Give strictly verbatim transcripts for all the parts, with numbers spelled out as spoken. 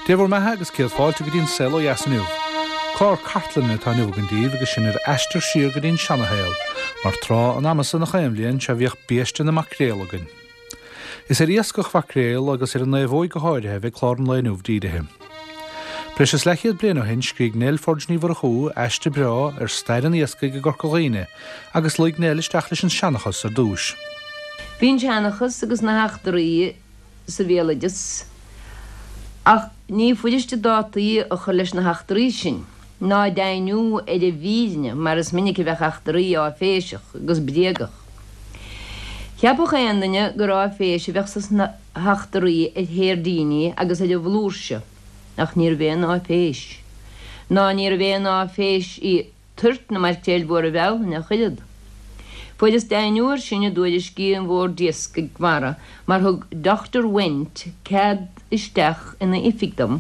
Dé bhur mbeatha agus céad fáilte go dtí an Saol Ó Dheas inniu. Clár cartlainne atá inniu againn daoibh agus sinn ar aistear siar go dtí an seanashaol, mar tráth an ama san chaon bhliain sea bhíodh biaiste na maicréal againn. Is ar iascach mhaicréal agus ar an naomhóig go háirithe a bheidh clár an lae inniu dírithe. Breis is leathchéad bliain ó shin scrígh Nell Forde Ní Mhurchú aiste breá ar stair an iascaigh i gCorca Dhuibhne agus luigh Nell isteach leis an seanchas ar dtús. Bhí an seanchas agus na heachtraí sa bhéaloideas ach ní fuiriste dátaí a chur leis na heachtraí sin, ná deimhniú ar a bhfírinne mar is minic a bheadh eachtraí áiféiseach agus bréagach. Cheapfadh aon duine gur áiféis a bheadh sna heachtraí ar sheirdíní agus ar an bhflúirse, ach níorbh aon áiféis. Ná níorbh aon áiféis í toirt na maicréil mhóra Bhealtaine ach oiread. Fuaireas deimhniú air sin i dtuairiscí an Bhoird Iascaigh Mhara mar thug Dr. Wendt cead isteach ina oifig dom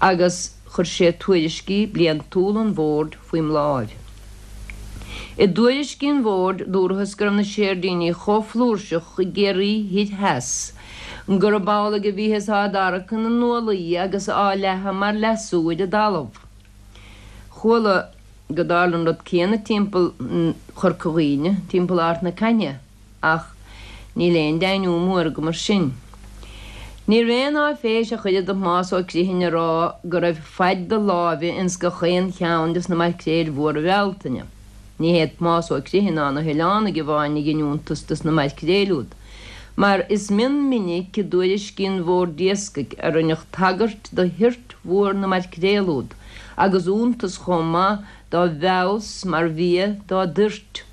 agus chuir sé tuairiscí bliantúla an bhoird faoim láimh. I dtuairiscí an bhoird dúrathas go raibh na seirdíní chomh flúirseach i gCiarraí Thoir Theas, gurb amhlaidh a bhíothas á dtarrac ina n-ualaí agus á leathadh mar leasú ar an dtalamh. Chuala go dtarla an rud céanna timpeall Chorca Dhuibhne, timpeall Ard na Caithne, ach níl aon deimhniú mór agam air sin. Ní raibh aon áiféis ach oiread do Thomás Ó Criomhthain a rá go raibh faid do láimhe ins gach aon cheann des na maicréil mhóra Bhealtaine. Ní hé Tomás Ó Criomhthain ná na hoileánaigh amháin a dhein iontas des na maicréil úd, mar is mion minic i dtuairiscí an Bhoird Iascaigh a rinneadh tagairt do thoirt mhór na maicréal úd, agus iontas chomh maith dá bhfeabhas mar bhia dá dtoirt.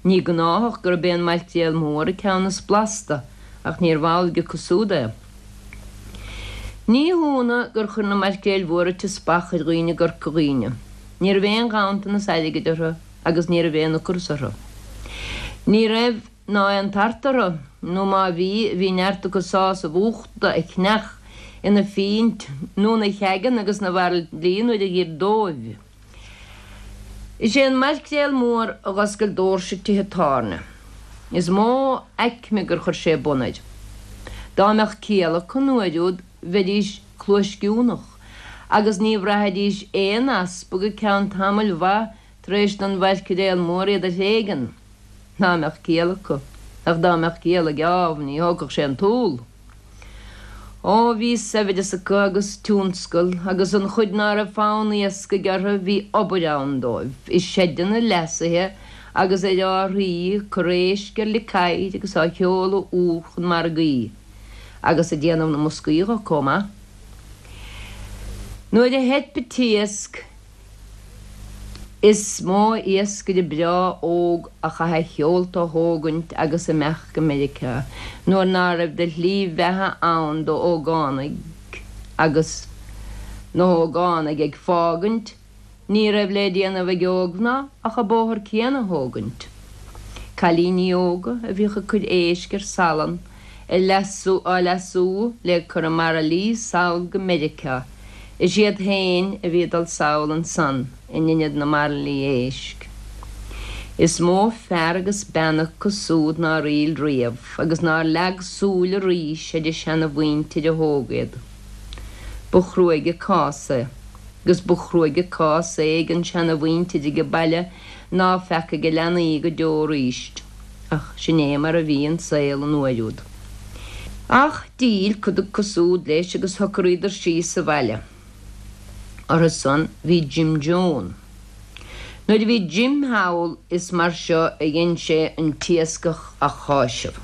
Ní gnáthach gurb é an maicréal mór an ceann is blasta, ach níorbh amhlaidh acu siúd é. Ní hionadh gur chuir na maicréil mhóra teaspach ar dhaoine i gCorca Dhuibhne. Ní raibh aon ghanntanas airgid orthu agus ní raibh aon ocras orthu. Ní raibh ná aon tart orthu, nó má bhí, bhí neart acu sásamh uchta a chneach ina phínt nó ina cheigeanna agus ina bhairillí nuair a dh'iarr dóibh. Is é an maicréal mór a dh'oscail doirse tithe tábhairne. Is mó aicme gur chuir sé bun air. Dá mbeadh ciall acu an uair úd bheidís cluaisciúnach, agus ní bhraithfidís aon easpa go ceann tamaill mhaith tar éis don mhaicréal mór iad a thréigean. Dá mbeadh ciall acu, ach dá mbeadh ciall ag Ádhamh ní thógfadh sé an t-úll. Ó bhí saibhreas acu agus tionscal, agus an chuid ná raibh fonn iascaigh orthu bhí obair ann dóibh, i seideanna leasaithe agus ar árthaí ag cur éisc ar licéir agus á sheoladh úr chun margaí, agus ag déanamh na mboscaí dho chomh maith. Nuair a theip an t-iasc, is mó iascaire breá óg a chaith a sheolta a thógaint agus imeacht go Meiriceá nuair ná raibh de shlí bheatha ann d'ógánaigh agus na hógánaigh ag fágaint ní raibh le déanamh ag ógmhná ach an bóthar céanna a thógaint. Cailíní óga a bhíodh ag cur éisc ar salann a leasú á leasú le cur i mbairillí sall go Meiriceá. Is iad féin a bhí ag dul sall ansan in ionad na mbairillí éisc. Is mó fear agus bean acu súd nár fhill riamh agus nár leag súil arís ar a seanamhuintir a thóg iad. Ba chruaidh an cás é, agus ba chruaidh an cás é ag an seanamhuintir age baile ná feacaigh a leanaí go deo arís, ach sin é mar a bhí an saol an uair úd. Ach d'fhill cuid acu súd leis agus shocraíodar síos sa bhaile. Orthu san bhí Jim Joan. Nuair a bhí Jim thall is mar seo a dhein sé an t-iascach a cháiseamh.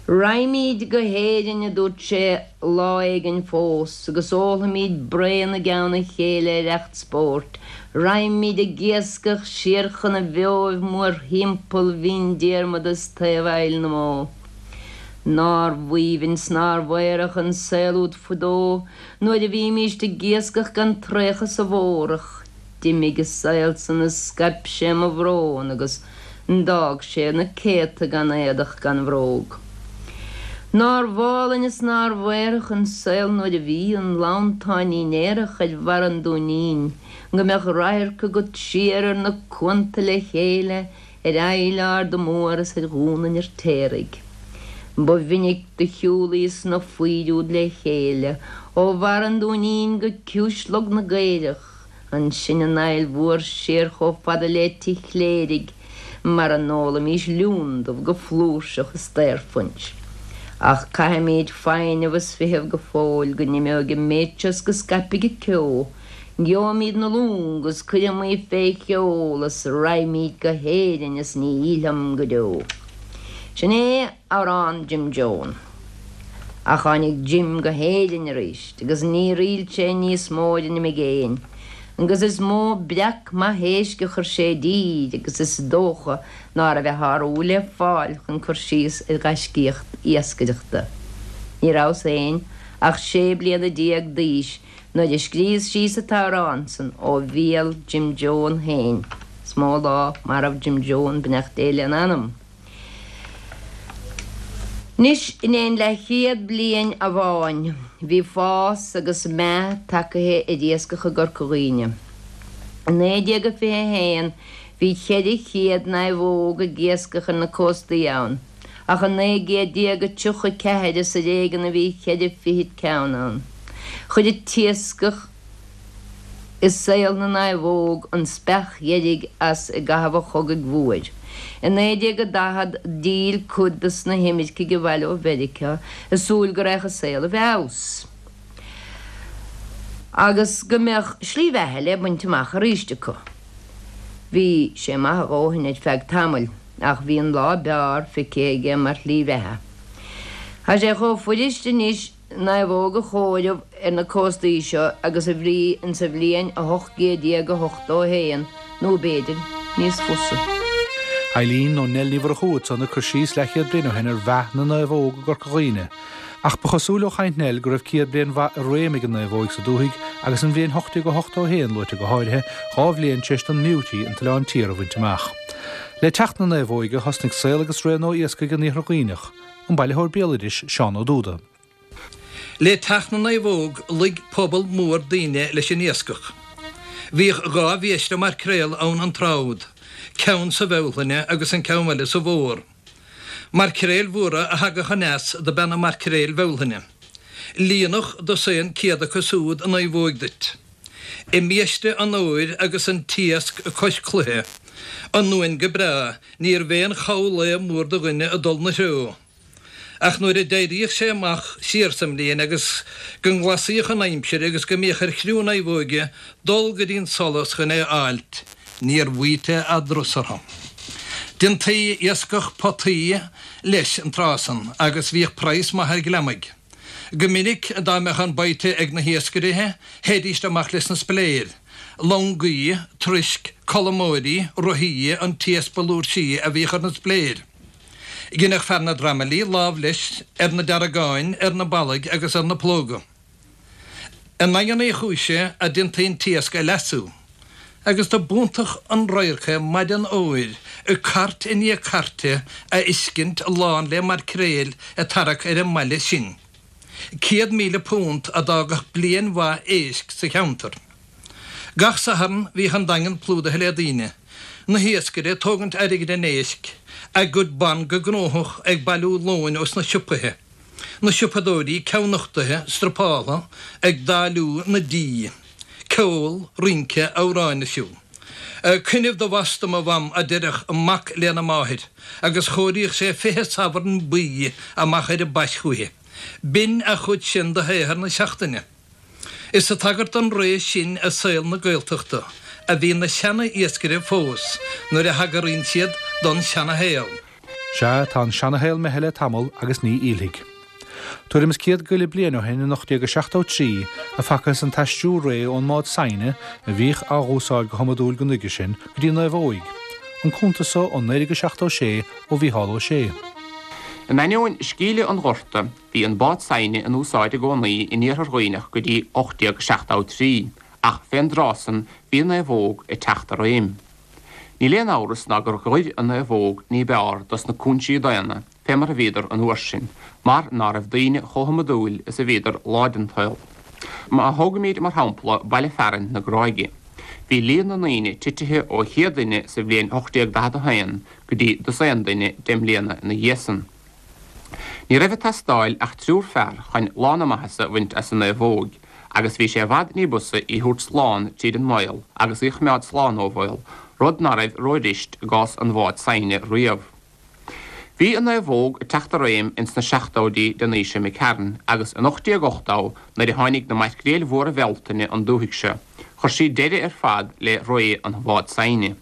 Raghaimíd go hÉirinn, a dúirt sé lá éigin fós, agus ólfaimíd braon i gceann a chéile ar fheacht spóirt, raghaimíd ag iascach siar chun na bhfeoibh mórthimpeall Bhinn Diarmada is taobh Aill na mBó. Nár bh'aoibhinn 's nár bh'aerach an saol úd fadó nuair a bhímíst ag iascach gan traochadh sa bhfómhrach, d'imigh an saol san is scaip sé mo bhrón agus d'fhág sé na céadta gan éadach gan bhróg. Nár bh'álainn is nár bh'aerach an saol nuair a bhí an lanntáinín aerach ar bharr an Dúinín, go mbeadh radharc agat siar ar na cuanta le chéile, ar Aill Arda Mór is ar Dhún an Fheirtéaraigh. Ba mhinic do shiúlaíos na faoid úd le chéile, ó bharr an Dúinín go ciumhais Log na gCaorach, ansin an Aill Mhór siar chomh fada le Tigh Chléirigh, mar a n-ólaimís liún dubh go flúirseach is daorphuins. Ach caithfimid foighneamh is feitheamh go fóill go n-imeoidh an méid seo is go scaipfidh an ceo. Gheobhaimid na longa is cuirfimid fé sheol is raghaimid go hÉirinn is ní fhillfeam go deo. Sin é amhrán Jim Joan. Ach tháinig Jim go hÉirinn arís agus níor fhill sé níos mó ar an imigéin, agus is mó breac maith éisc a chuir sé i dtír agus is dócha ná raibh a shárú le fáil chun cur síos ar ghaiscíocht iascaireachta. Ní rabhas féin ach sé bliana déag d'aois nuair a scríos síos an t-amhrán san ó bhéal Jim Joan féin. Is mó lá marbh Jim Joan, beannacht Dé lena anam. Anois, in aon leathchéad bliain amháin, bhí fás agus meath tagaithe ar iascach i gCorca Dhuibhne. I naoi déag a fiche a haon, bhí ceithre chéad naomhóg ag iascach ar na cóstaí ann, ach i naoi gcéad déag a tríocha ceathair is ar éigean a bhí ceithre fichid ceann ann. Chuir an t-iascach i saol na naomhóg an speach dheiridh as i gcaitheamh an Chogaidh Mhóir. I naoi déag a daichead d'fhill cuid de na himircigh abhaile ó Mheiriceá ag súil go raghadh an saol i bhfeabhas agus go mbeadh slí bheatha le baint amach arís acu. Bhí sé maith a dhóthain ar feadh tamaill ach bhí an lá b'fhearr feicthe aige mar shlí bheatha. Tá sé chomh fuirist anois naomhóg a chomhaireamh ar na cóstaí seo agus a bhí insa bhliain a hocht gcéad déag a hochtó a haon nó b'fhéidir níos fusa. Eileen nó Nell Ní Mhurchú ansan ag cur síos leathchéad bliain ó shin ar mheath na naomhóg i gCorca Dhuibhne. Ach ba chosúil ó chaint Nell go raibh céad bliain mhaith i réim ag an naomhóig sa dúthaigh agus an bhliain hocht déag ochtó a haon luaite go háirithe, dhá bhliain tar éis don mBeauty an tOileán Tiar a bhaint amach. Le teacht na naomhóige thosnaigh saol agus ré nua iascaigh in Iarthar Dhuibhneach, an bailitheoir béaloidis Seán Ó Dúda. Le teacht na naomhóg luigh pobal mór daoine leis an iascach. Bhíodh dhá bhiaiste maircréal ann an tráth úd, ceann sa Bhealtaine agus an ceann eile sa bhFómhar. Maircréil mhóra a thagadh aneas do b'ea na maircréil Bhealtaine. Líonfadh dosaen céad acu siúd naomhóig duit. I mbiaiste an fhómhair agus an t-iasc cois cloiche anúin go breá, níorbh aon chall lae mór do dhuine a dul 'na threo. Ach nuair a d'éiríodh sé amach siar sa mbliain agus go nglasaíodh an aimsir agus go mbíodh ar chriú naomhóige dul go dtí'n solas chun é a fháilt, níor bhfaighte a dturas orthu. Déantaí iascach potaí leis an tráth san agus bhíodh praghas maith ar ghliomaigh. Go minic dá mbeadh an baghta ag na hiascairithe, théidíst amach leis na spiléir. Longaí, troisc, colmóirí, rothaí an t-iasc ba fhlúirsí a bhíodh ar na spiléir. Dheineadh fear na dtramaillí lámh leis ar na deargáin, ar na ballaigh agus ar na plóga. I nDaingean Uí Chúise a déantaí an t-iasc a leasú, agus do b'iontach an radharc é maidin fhómhair, cairt i ndiaidh cairte a fheiscint lán le maircréil ag tarrac ar an mbaile sin. Céad míle punt a d'fhágfadh bliain mhaith éisc sa cheantar. Gach Satharn bhíodh an Daingean plúdaithe le daoine, na hiascaire ag tógaint airgid an éisc, a gcuid ban go gnóthach ag bailiú lóin os na siopaithe, na siopadóirí ceann-nochtaithe, strapáltha, ag dáiliú na dí. Ceol, rince, amhráin ar siúl. Cuimhnimh do bhas dom a mham, a deireadh mac lena máthair, agus chomhairíodh sé fiche sabhran buí amach ar an bpais chúichi. B'in a chuid sin de shaothar na seachtaine. Is ag tagairt don ré sin i saol na Gaeltachta a bhíonn na seana-iascaire fós nuair a thagraíonn siad don seana-shaol. Sea, tá an seana-shaol imithe le tamall agus ní fhillfidh. Tuairim is céad go leith bliain ó shin in ocht déag a seachtó trí a facthas an t-aistriú réidh ón mbád saighne, a bhíodh á dh'úsáid go hiomadúil go nuige sin, go dtí naomhóig. An cuntas so ó naoi déag a seachtó sé ó Mhícheál Ó Sé. In ainneoin scaoileadh an Ghorta, bhí an bád saighne in úsáid i gcónaí in Iarthar Dhuibhneach go dtí ocht déag seachtó trí, ach fén dtráth san bhí an naomhóg ag teacht i réim. Níl aon amhras ná gur dh'oir an naomhóg ní b'fhearr dos na cúinsí daonna fé mar a bhíodar an uair sin, mar ná raibh daoine chomh hiomadúil is a bhíodar lá den tsaol. Má thógaimíd mar shampla baile fearainn na Gráige, bhí líon na ndaoine titithe ó chéad duine sa bhliain ocht déag daichead a haon go dtí dosaen duine deich mbliana ina dhiaidh san. Ní raibh ag teastáil ach triúr fear chun lán na maitheasa a bhaint as an naomhóg, agus bhí sé i bhfad ní b'fhusa í thabhairt slán tríd an mbaol agus í choimeád slán ó bhaol, rud ná raibh rófhuirist i gcás an bháid saighne riamh. Bhí an naomhóg ag teacht i réim ins na seachtóidí den aois imigh tharainn agus in ocht déag ochtó nuair a tháinig na maicréil mhóra Bhealtaine an dúthaigh seo, chuir sí deireadh ar fad le ré an bháid saighne.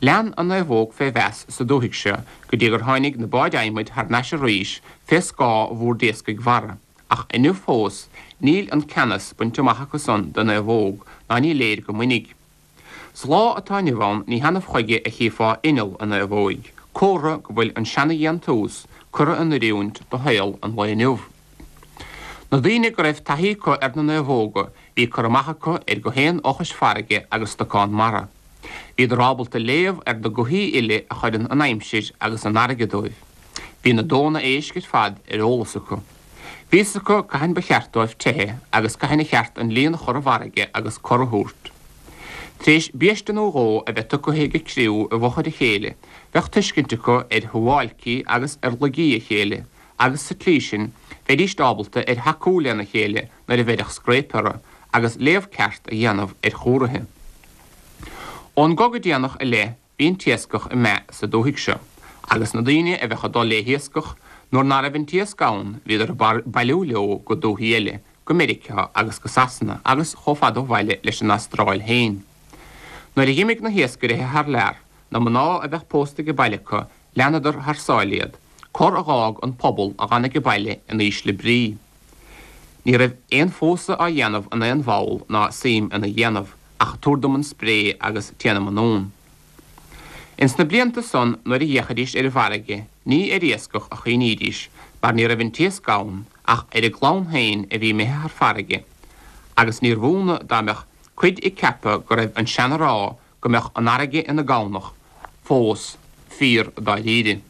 Lean an naomhóg fé mheas sa dúthaigh seo go dtí gur tháinig na báid adhmaid thar n-ais arís fé scáth Bhord Iascaigh Mhara. Ach inniu fós níl an ceannas bainte amach acu san den naomhóg ná ní léir go mbainfidh. Sa lá atá inniu ann ní hannamh chuige a chífeá inneall i naomhóig, comhartha go bhfuil an seana-dhéantús curtha in oiriúint do shaol an lae inniu. Na daoine go raibh taithí acu ar na naomhóga bhí cur amach acu ar gach aon fhochais farraige agus stocán mara. Bhíodar ábalta léamh ar na gothaí uile a chuireann an aimsir agus an fharraige dóibh. Bhí na dónna éisc ar fad ar eolas acu. Bhí fhios acu cathain ba cheart dóibh teitheadh agus cathain a cheart an líon a chur i bhfarraige agus cor a thabhairt. Tar éis biaiste nó dhó a bheith tugtha ag an gcriú i bhfochair a chéile, bheadh tuiscint acu ar shuáilcí agus ar laigí a chéile agus sa tslí sin bheidíst ábalta ar thacú lena chéile nuair a bheireadh scréip orthu agus léamh ceart a dhéanamh ar chomharthaí. Ón gCogadh Déanach i leith bhí an t-iascach ag meath sa dúthaigh seo, agus na daoine a bheadh ag dul le hiascach, nuair ná raibh an t-iasc ann bhíodar ag bailiú leo go dúthaí eile, go Meiriceá agus go Sasana agus chomh fada ó bhaile leis an Astráil féin. Nuair a dh'imigh na hiascairithe thar lear, na mná a bheadh pósta age baile acu, leanadar thar sáile iad, cor a dh'fhág an pobal a dh'fhan age baile in ísle brí. Ní raibh aon phósadh á dhéanamh in aon bhall ná suim ina dhéanamh, ach tabhair dom an spré agus téanam anonn. Ins na blianta san nuair a d'fhéachaidís ar an bhfarraige ní ar iascach a chuimhnídís mar ní raibh an t-iasc ann ach ar a gclann féin a bhí imithe thar farraige agus níorbh ionadh dá mbeadh cuid ag ceapadh go raibh an seana-rá go mbeadh an fharraige ina gamhnach fós fíor dáiríre.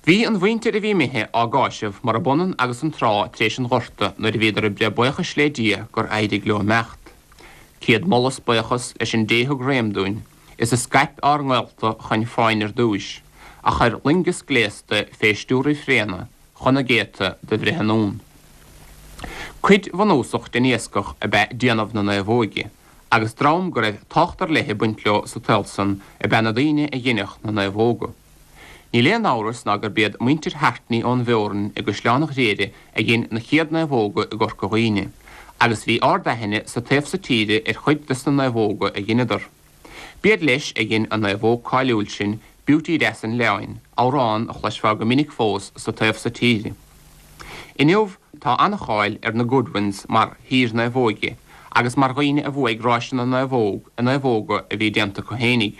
Bhí an mhuintir a bhí imithe á gcáiseamh murab ionann agus an tráth tar éis an Ghorta nuair a bhíodar ag breith buíochais le Dia gur éirigh leo imeacht. Céad moladh 's buíochas leis an Dé thug réim dúinn, is a scaip ár ngaolta chun fáin ar dtúis, a chuir loingeas gléasta fé stiúir Uí Fréine chun na gcéadta do bhreith anonn. Cuid bhunúsach den iascach ab ea déanamh na naomhóige, agus dream go raibh tábhacht ar leith ag baint leo sa tsaol san ab ea na daoine a dheineadh na naomhóga. Níl aon amhras ná gurb iad muintir Hartney ón bhFeorainn i gCaisleán an Ghriaire a dhein na chéad naomhóga i gCorca Dhuibhne, agus bhí ard-aithne sa taobh so tíre ar chuid des na naomhóga a dheineadar. B'iad leis a dhein an naomhóg cáiliúil sin, Beauty Deas an Oileáin, amhrán a chloisfeá go minic fós sa taobh so tíre. Inniu tá an-cháil ar na Goodwins mar shaoir naomhóige agus mar dhaoine a bhuaigh ráiseanna naomhóg i naomhóga a bhí déanta acu fhéinig.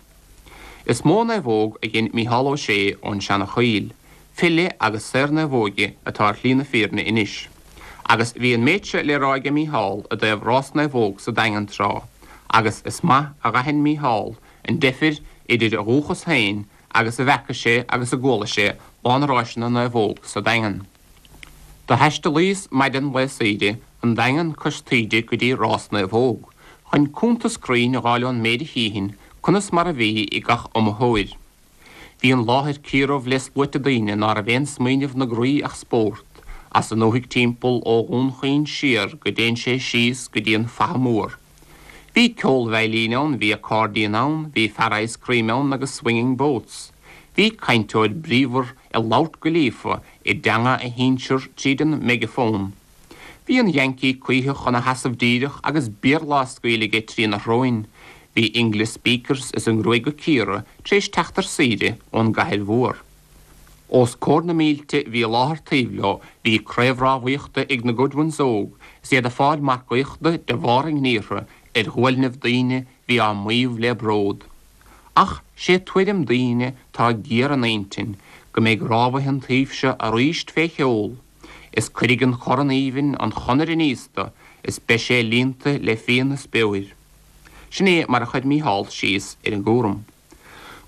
Is mó naomhóg a dhein Mícheál Ó Sé ón Seana-Choill, file agus saor naomhóige atá ar shlí na fírinne anois. Agus bhí an méid seo le rá aige Mícheál i dtaobh rás naomhóg sa Daingean tráth, agus is maith a dh'aithin Mícheál an deifir idir a dhúchas féin agus a bhfeaca sé agus a gcuala sé lá na ráiseanna naomhóg sa Daingean. Do thaistealaíos maidin lae saoire an Daingean cois taoide go dtí rás naomhóg, chun cuntas cruinn a dh'fháil ón méid a chífinn conas mar a bhí ag gach iomaitheoir. Bhí an láthair ciarbh le sluaite daoine ná raibh aon smaoineamh 'na gcroí ach spórt, as an ndúthaigh timpeall ó Dhún Chaoin siar go dtéann sé síos go dtí an Faiche Mór. Bhí ceol veidhlín ann, bhí accordion ann, bhí fear ice cream ann agus swinging boats. Bhí cainteoir bríomhar ag labhairt go líofa i dteanga a shinsear tríd an meigeafón. Bhí an Yankee cuítheach ina sheasamh díreach agus Béarla á scaoileadh aige trína shróin. Bhí English speakers is a ngruaig á cíoradh tar éis teacht ar saoire ón gcathair mhór. Os comhair na mílte a bhí i láthair taobh leo bhí craobh rámhaíochta ag na Goodwins óg is iad ag fáil marcaíochta de bharr a ngníortha ar ghuailnibh daoine bhí á maíomh le bród. Ach sé tuairim daoine tá géar ina intinn go mbeidh rámhaithe an taoibh seo aríst fé sheol is cuirfidh an corn aoibhinn an chonair aníos do is beidh sé líonta le fíon is beoir. Sin é mar a chuir Mícheál síos ar an gcúram.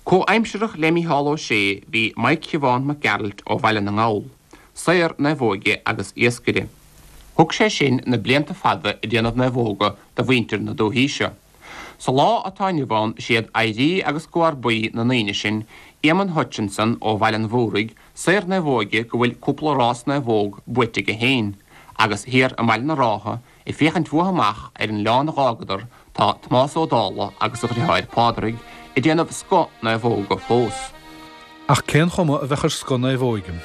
Comhaimsearach le Mícheál Ó Sé bhí Maidhc Shiobhán Mac Gearailt ó Bhaile na nGall, saor naomhóige agus iascaire. Thug sé sin na blianta fada ag déanamh naomhóga do mhuintir na dúthaí seo. Sa lá atá inniu ann is iad oidhrí agus comharbaí na ndaoine sin Éamonn Hutchinson ó Bhaile an Mhúraigh, saor naomhóige go bhfuil cúpla rás naomhóg buaite aige féin, agus thiar i mBaile na Rátha, ag féachaint uathu amach ar an oileán a dh'fhágadar, tá Tomás Ó Dálaigh agus a dhriotháir Pádraig ag déanamh scoth naomhóga fós. Ach cén chuma a bheadh ar scoth naomhóige?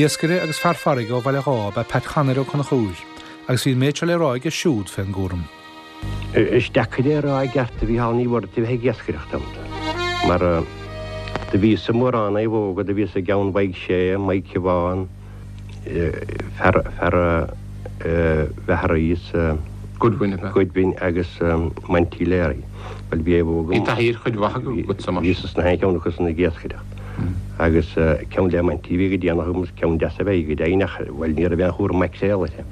Iascaire agus fear farraige ó Bhaile Dháith ab ea Pat Chonaire Ó Conchúir, agus bhí an méid seo le rá aige siúd fén gcúram. Is deacair é a rá i gceart a Mhícheáil ní bhfuair a bheith ag iascaireacht iontu, mar do bhíos i mórán naomhóga, do bhíos i gceann Mhaidhc Sé, Maidhc Shiobhán, fear fear Mhachaire is Goodwin ab ea? Goodwin agus Monty Leary. Bhuel bhí naomhóga. Bhí taithí ar chuid mhaith agatsa mar. Bhíos sna haon cheann acu san ag iascaireacht. Agus ceann le Monty bhí go déanach agam is ceann deas ab ea í go deimhin ach bhuel ní raibh aon chúram maicréal uirthi.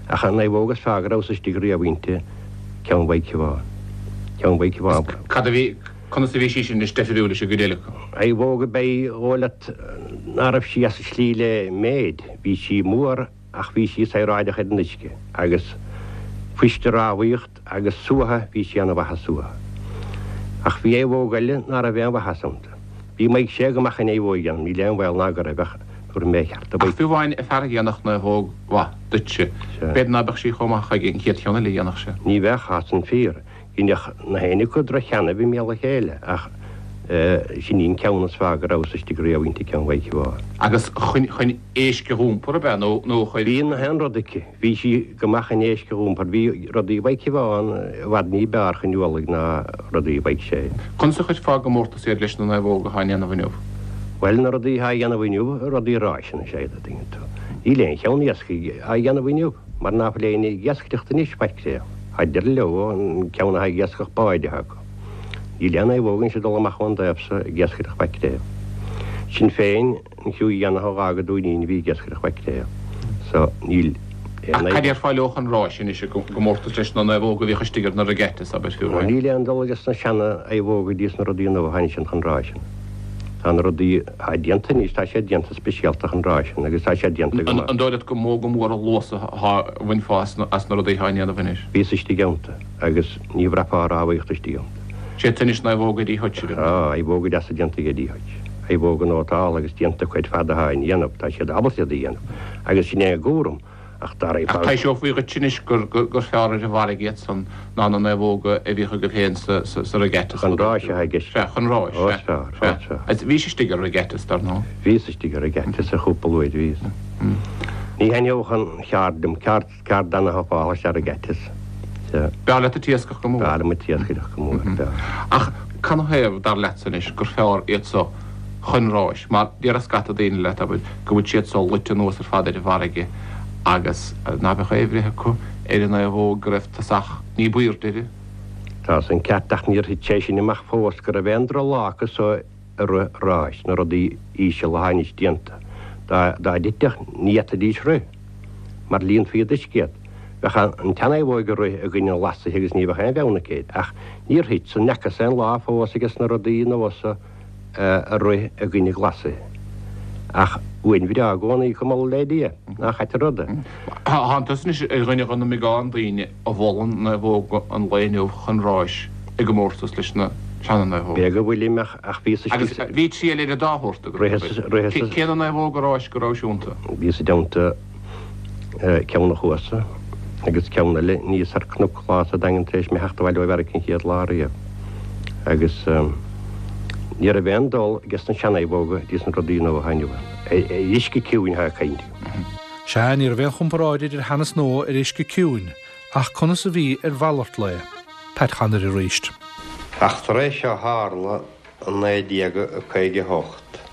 Ach an naomhóg is fearr go rabhas istigh riamh inti, ceann Mhaidhc Shiobhán. Ceann Mhaidhc Shiobhán. Cad a bhí, conas a bhí sí sin anois deifriúil leis an gcuid eile acu? Naomhóg ab ea í dhóigh leat ná raibh sí as an slí le méid. Bhí sí mór ach bhí sí saoráideach ar an uisce agus fuisce rámhaíocht agus suaitheadh, bhí sí ana-mhaith ag suaitheadh. Ach bhí naomhóg eile ná raibh aon mhaitheas iontu. Bhí Maidhc Sé go maith chun naomhóig a dhéanamh, níl aon bhaol ná go raibh ach tabharfaidh mé a cheart do Ach Mhaidhc. fiú amháin fear a dhéanfadh naomhóg mhaith duitse, Sea. b'fhéidir ná beadh sí chomh maith chuige an chéad cheann eile a dhéanfadh sé. Ní bheadh, tá san fíor. Dheineadh na héinne acu droch-cheann i mbéal a chéile ach sin í an ceann is fearr go rabhas istigh riamh inti, ceann Mhaidhc Shiobháin. Agus chun chun éisc a dh'iompar ab ea nó nó chuir. Bhí na haon rud aici. Bhí sí go maith chun éisc a dh'iompar. Bhí rudaí Mhaidhc Shiobháin i bhfad ní b'fhearr chun ualaigh ná rudaí Mhaidhc Sé. Conas a chuirfeá i gcomórtas iad leis na naomhóga atá á ndéanamh inniu? Bhuel, na rudaí atá á dhéanamh inniu, rudaí ráis anois iad, a dtuigeann tú. Níl aon cheann iascaigh á dhéanamh inniu mar ná fuil éinne ag iascaireacht anois, mhaicréal. Tá deireadh leo, an ceann atá ag iascach báid atá acu. Níl aon naomhóg anois ag dul amach ón dtaobh so ag iascaireacht mhaicréal. Sin féin an criú dhéanach a dh'fhág an Dúinín a bhí ag iascaireacht mhaicréal. So, níl aon Ach cad déarfá leo chun ráis anois i gcomórtas leis na naomhóga a bhíodh istigh ar na regattas, abair, fiú amháin? Níl aon dul ages na seana-naomhóga dtí sna rudaí nua atá anois chun ráiseanna. Tá na rudaí atá déanta anois, tá siad déanta speisialta chun ráiseanna agus tá siad déanta go maith. An dóigh leat gur mó go mór an luas atá a bhainfeá as na rudaí atá á ndéanamh anois? Bhíos istigh iontu agus ní bhraithfeá rámhaíocht istigh iontu. Sé anois naomhóga Eddie Hutch. Tá, naomhóga deasa déanta ag Eddie Hutch. Naomhóga nótálta agus déanta cuid fada atá á ndéanamh, tá siad ábalta iad a dhéanamh agus sin é a gcúram. Ach dá raibh Ach taibhseofaí dhuit anois gur fearr ar an bhfarraige iad san ná na naomhóga a bhíodh agaibh féin sa regattas. Chun ráis atá i gceist. Sea, chun ráis, sea. Ó, is fearr, ó, is fearr. Sea. Bhís istigh ar regattas, dar ndóigh. Bhíos istigh ar regattas ar chúpla uair, bhíos. Ní thaitneodh an cheard liom, ceard, ceard ana-thapála is ea regattas. Sea. B'fhearr leat an t-iascach go mór. B'fhearr liom an t-iascaireacht go mór, b'fhearr. Ach canathaobh, dar leatsa anois, gur fearr iad so chun ráis, mar déarfadh scata daoine leat, abair, go bhfuil siad so luite anuas ar fad ar an bhfarraige agus ná beadh aon bhreith acu ar an naomhóg go raibh tosach ní b'aoirde uirthi. Tá san ceart ach níor thit sé sin amach fós go raibh aon droch-lá acu so ag rith ráis, na rudaí íseal atá anois déanta. Dá dtitfeadh ní fhéadfaidís rith mar líonfaí d'uisce iad. Bheadh an tsean-naomhóg ag rith i gcoinne an ghlasaithe agus ní bheadh aon bheann aici air. Ach níor thit san, n'fheacas aon lá fós ages na rudaí nua so ag rith i gcoinne glasaithe. Ach uain bhreá i gcónaí acu, moladh le Dia, ná caitear ruda. Tánn tusa anois ar dhuine de na mbeagán daoine a mholann naomhóga an lae inniu chun ráis i gcomórtas leis na seana-naomhóga. B'fhéidir go bhfuilim ach ach bhíos istigh Agus bhí triail ar an dá shórt agat, Ritheas, ritheas. Cé na naomhóga ráis go rabhais iontu? Bhíos i dteannta ceann a chuasa agus ceann eile aníos ar cnoc lá sa Daingean tar éis mé theacht abhaile ó Mheiriceá an chéad lá riamh. Agus ní raibh aon dul ages na sean-naomhóga dtí sna rudaí nua atá inniu ann. Ar uisce ciúin atá ag caint. Sea, ní raibh aon chomparáid idir shean is nua ar uisce ciúin, ach conas a bhí ar mhalairt lae? Pat Chonaire arís. Eachtra é seo a tharla i naoi déag caoga a hocht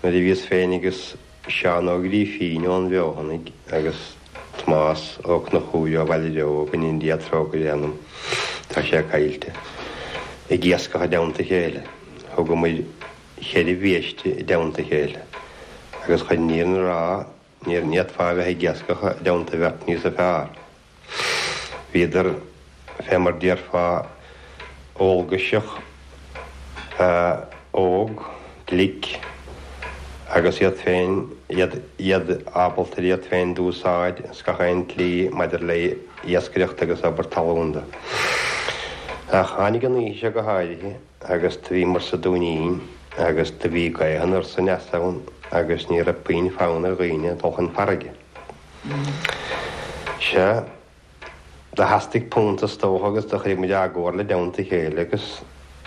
nuair a bhíos féin agus Seán Ó Grífín ón bhFeothanaigh agus Tomás Ó Conchúir ó Bhaile Bheo, go ndéana Dia trócaire ar a anam, tá sé caillte, ag iascach i dteannta a chéile. Thugamair cheithre bhiaiste i dteannta a chéile agus chun an fhírinne a rá ní fhéadfá a bheith ag iascach i dteannta bheirt níosa fearr. Bhíodar fé mar déarfá eolgaiseach, óg, glic agus iad féin, iad, iad ábalta ar iad féin d'úsáid ins gach aon tslí maidir le iascaireacht agus obair talún de. Ach tháinig an oíche seo go háirithe agus do bhíomar sa Dúinín agus do bhí gaoth anoir is aneas ann agus ní raibh puinn fonn ar dhaoine dul chun farraige. Sea, do theastaigh punt is dócha agus do chuir muid ár gcomhairle i dteannta a chéile agus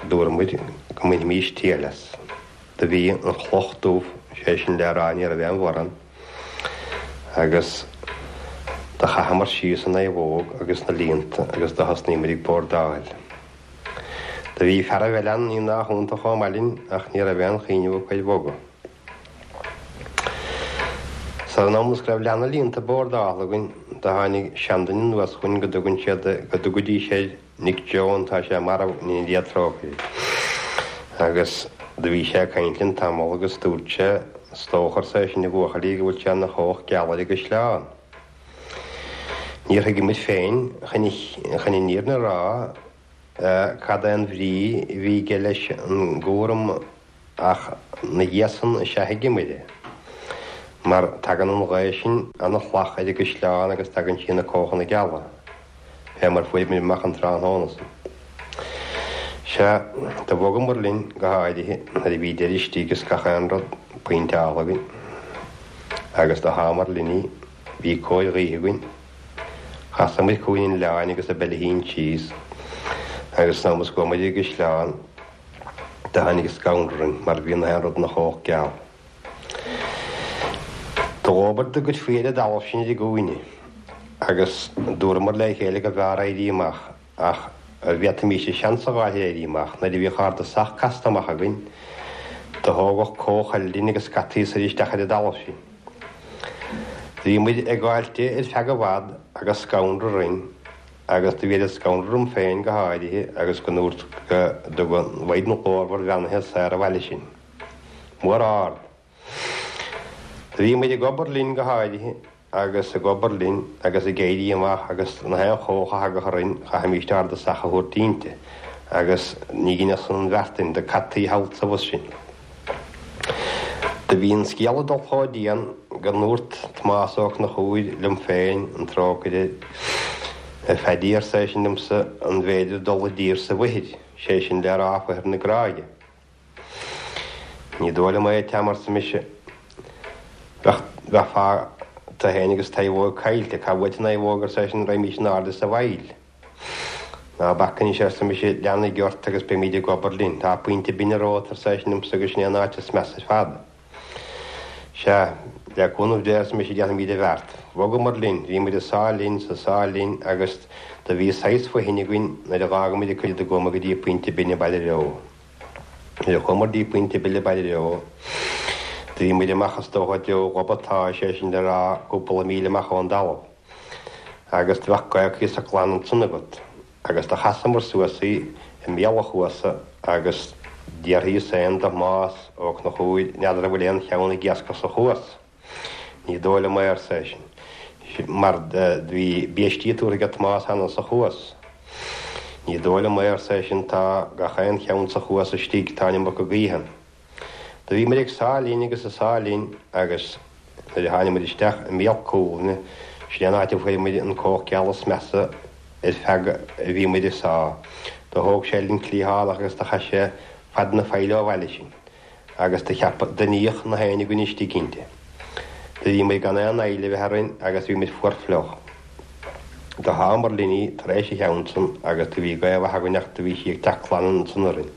dúirt muid go mbainfimís triail as. Do bhí an chloch dubh, sé sin le rá ní raibh aon mhórán, agus do chaitheamar síos an naomhóg agus na líonta agus do thosnaigh muid ag bordáil. Do bhí fearaibh eile ann ní nach iontach chomh maith linn ach ní raibh aon chuimhneamh acu ar bhogadh. Sar an am is go raibh leath na líonta bordáilte againn do tháinig seanduine anuas chugainn go dtugann siad go dtugaidís air Nick Joe tá sé marbh i nDia trócaire. Agus do bhí sé ag caint linn tamall agus dúirt sé, Is dócha arsa eisean a bhuachaillí go bhfuil sé ina chuach geal ar an gcaisleán. Níor thuig muid féin chun chun an fhírinne a rá cad é an bhrí a bhí aige leis an gcúram ach 'na dhiaidh san is ea thuigeamair é. Mar tagann an ghaoth sin ana-shlach ar an gcaisleán agus tagann sí ina cuachanna geala, fé mar fuair muid amach an tráthnóna san. Sea, do bhogamair linn go háirithe nuair a bhí deireadh istigh is gach aon rud pointeálta againn. Agus do shámar linn í, bhí cóir ghaoithe againn. Chasamair cúinne an oileáin agus ab eile síos agus san am is go raibh muid i gcaisleán do tháinig scanradh orainn mar bhí na haon rud ina chuach geal. Do dhóbair do goidfí ar an dtalamh sin ar an gcúinne agus dúramar le chéile go mb'fhearr éirí amach ach an bhféadfaimís seans a fháil ar éirí amach nuair a bhíodh ár dtosach casta amach againn do thógadh cuach eile dínn agus scaití soir isteach ar an dtalamh sin. Bhí muid ag gabháil di ar feadh i bhfad agus scanradh orainn agus do bhí oiread scanradh orm féin go háirithe agus go ndúirt go dtuga an Mhaighdean Ghlórmhar bheannaithe saor abhaile sinn. Mór ard. Do bhí muid ag obair linn go háirithe agus ag obair linn agus ag éirí amach agus na haon chuach a thagadh orainn chaithfimíst ár dtosach a thabhairt inti agus ní dheineadh san an bheart dúinn do caití thall 's abhus sinn. Do bhí an scéal ag dul chomh dian go ndúirt Tomás Ó Conchúir liom féin an trócaire air, A Phaddy, arsa eisean liomsa, an bhféidir dul i dtír sa bhfoichir, sé sin le rá foichir na Gráige? Ní dóigh liom é, a Tom, arsa mise. Bheadh, bheifeá tu féin agus naomhóg caillte. Cá bhfuil an naomhóg, arsa eisean, raghaimís in airde sa bhfaill. Ná bac anois, arsa mise, lean an gort agus beimid ag obair linn. Tá pointe binne romhat, arsa eisean liomsa, agus sin é an áit is measa ar fad. Sea, le cúnamh Dé, arsa mise, déanfaimid an bheart. Bhogamar linn, bhí muid ag sá linn 's ag sá linn agus do bhí saghas fothain againn nuair a dh'fhága muid an cuid de go dtí Pointe Binne Baile Bheo. Nuair a chuamar dtí Pointe Bille Baile Bheo, do bhí muid amach is dócha i dtreo Ghob an tSáith, sé sin le rá cúpla míle amach ón dtalamh. Agus do bheadh gaoth cuíosach glan ansan agat. Agus do chasamar suas í i mbéal an chuasa agus d'fhiafraíos féin de Thomás Ó Conchúir n'fheadar an bhfuil aon cheann ag iascach sa chuas. Ní dóigh liom é, arsa eisean, mar do bhí biaistí tabhartha aige Tomás cheana sa chuas. Ní dóigh liom é, arsa eisean, tá gach aon cheann sa chuas istigh, tá an iomarca gaoithe ann. Do bhí muid ag sá linn agus ag sá linn agus nuair a tháinig muid isteach i mbéal cuallainne, sin é an áit a bhfuair muid an cuach geal is measa ar feadh a bhí muid ag sá. Do thóg sé linn cliathánach agus do chaith sé fad na faille ó bhaile sinn agus do cheap, do níodh na haon againn istigh inti. Do bhí muid gan aon fhaill a bheith orainn agus bhí muid fuar fliuch. Do shámar linn í tar éis an cheann san agus do bhí gaoth mhaith againn ach do bhí sí ag teacht glan ansan orainn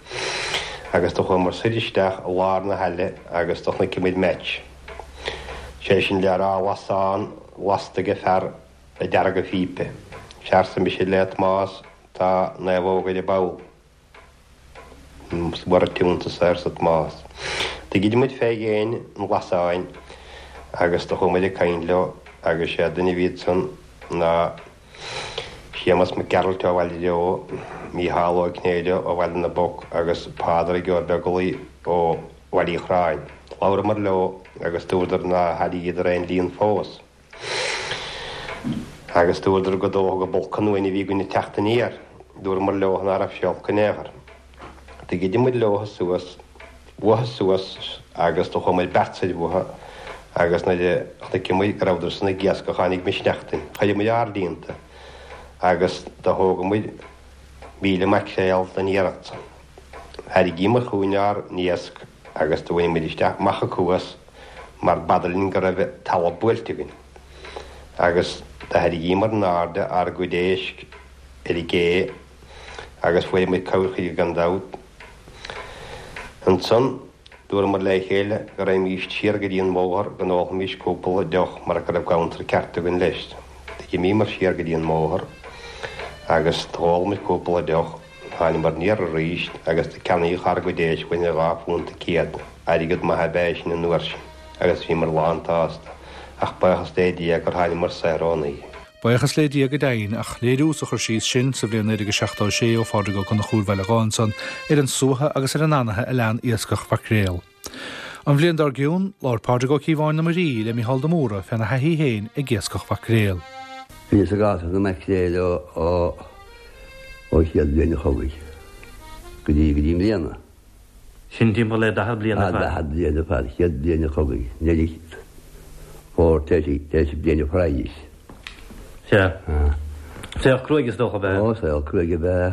agus do chuamar soir isteach i lár na haille agus do chonaic muid match. Sé sin le rá lasán lasta ag fear ag deargadh phípe. Sea arsa mise le Tomás tá naomhóg ar an bpoll. Is mór an t-iontas é arsa Tomás. Do ghoid muid fé dhéin an lasáin agus do chuaigh muid ag caint leo agus sé duine a bhí ansan ná Séamas Mac Gearailt ó Bhaile Bheo, Mícheál Ó Cinnéide ó Bhaile na bPoc agus Pádraig Ó Beaglaoi ó Bhaile Uí Chorráin. Labhramar leo agus dúradar nár thairríodar aon líon fós. Agus dúradar gur dócha gurb olc an uain a bhí againn ag teacht aniar. Dúramar leo ná raibh sé olc in aon chor. Do ghoid muid leo suas, uathu suas agus do chuaigh muid beirt soir uathu agus nuair a chonaic muid go rabhadar san ag iascach tháinig misneach dúinn. Chuir muid ár líonta agus do thóg muid míle maicréal den iarracht san. Thairrigíomar chugainn ár n-iasc agus do bhain muid isteach amach an cuas mar b'fhada linn go raibh talamh buailte againn. Agus do tharraingíomar in airde ár gcuid éisc ar an gcé agus fuair muid corrchuid gan dabht. Ansan, dúramar le chéile go raghaimís siar go dtí an mbóthar go n-ólfaimís cúpla deoch mar go raibh ganntar ceart againn leis. D'imíomar siar go dtí an mbóthar agus d'ól muid cúpla deoch, thángamar aniar arís agus do ceannaíodh ár gcuid éisc uainn ar dhá phunt céad, airgead maith ab ea é sin an uair sin, agus bhíomar lántshásta, ach buíochas le Dia gur thángamar saor ón oíche. Buíochas le Dia go deimhin, ach léiriú sa chur síos sin sa bhliain naoi déag seachtó a sé ó Phádraig Ó Conchúir Bhaile Átha ansan ar an suaitheadh agus ar an anaithe a lean iascach mhaicréal. An bhliain dár gcionn, labhair Pádraig Ó Cíobháin na Muirí le Mícheál de Mórdha féna thaithí féin ag iascach mhaicréal. Bhíos ag iascach na maicréil ó ó chéad bhliain an chogaidh go dtí go dtí i mbliana. Sin timpeall le daichead bliain ar fad. Daichead bliain ar fad, chéad bhliain an chogaidh, Nollaig fómhair tar éis bliain an phraghais. Sea. Saol cruaidh is dócha ab ea? Ó, saol cruaidh ab ea.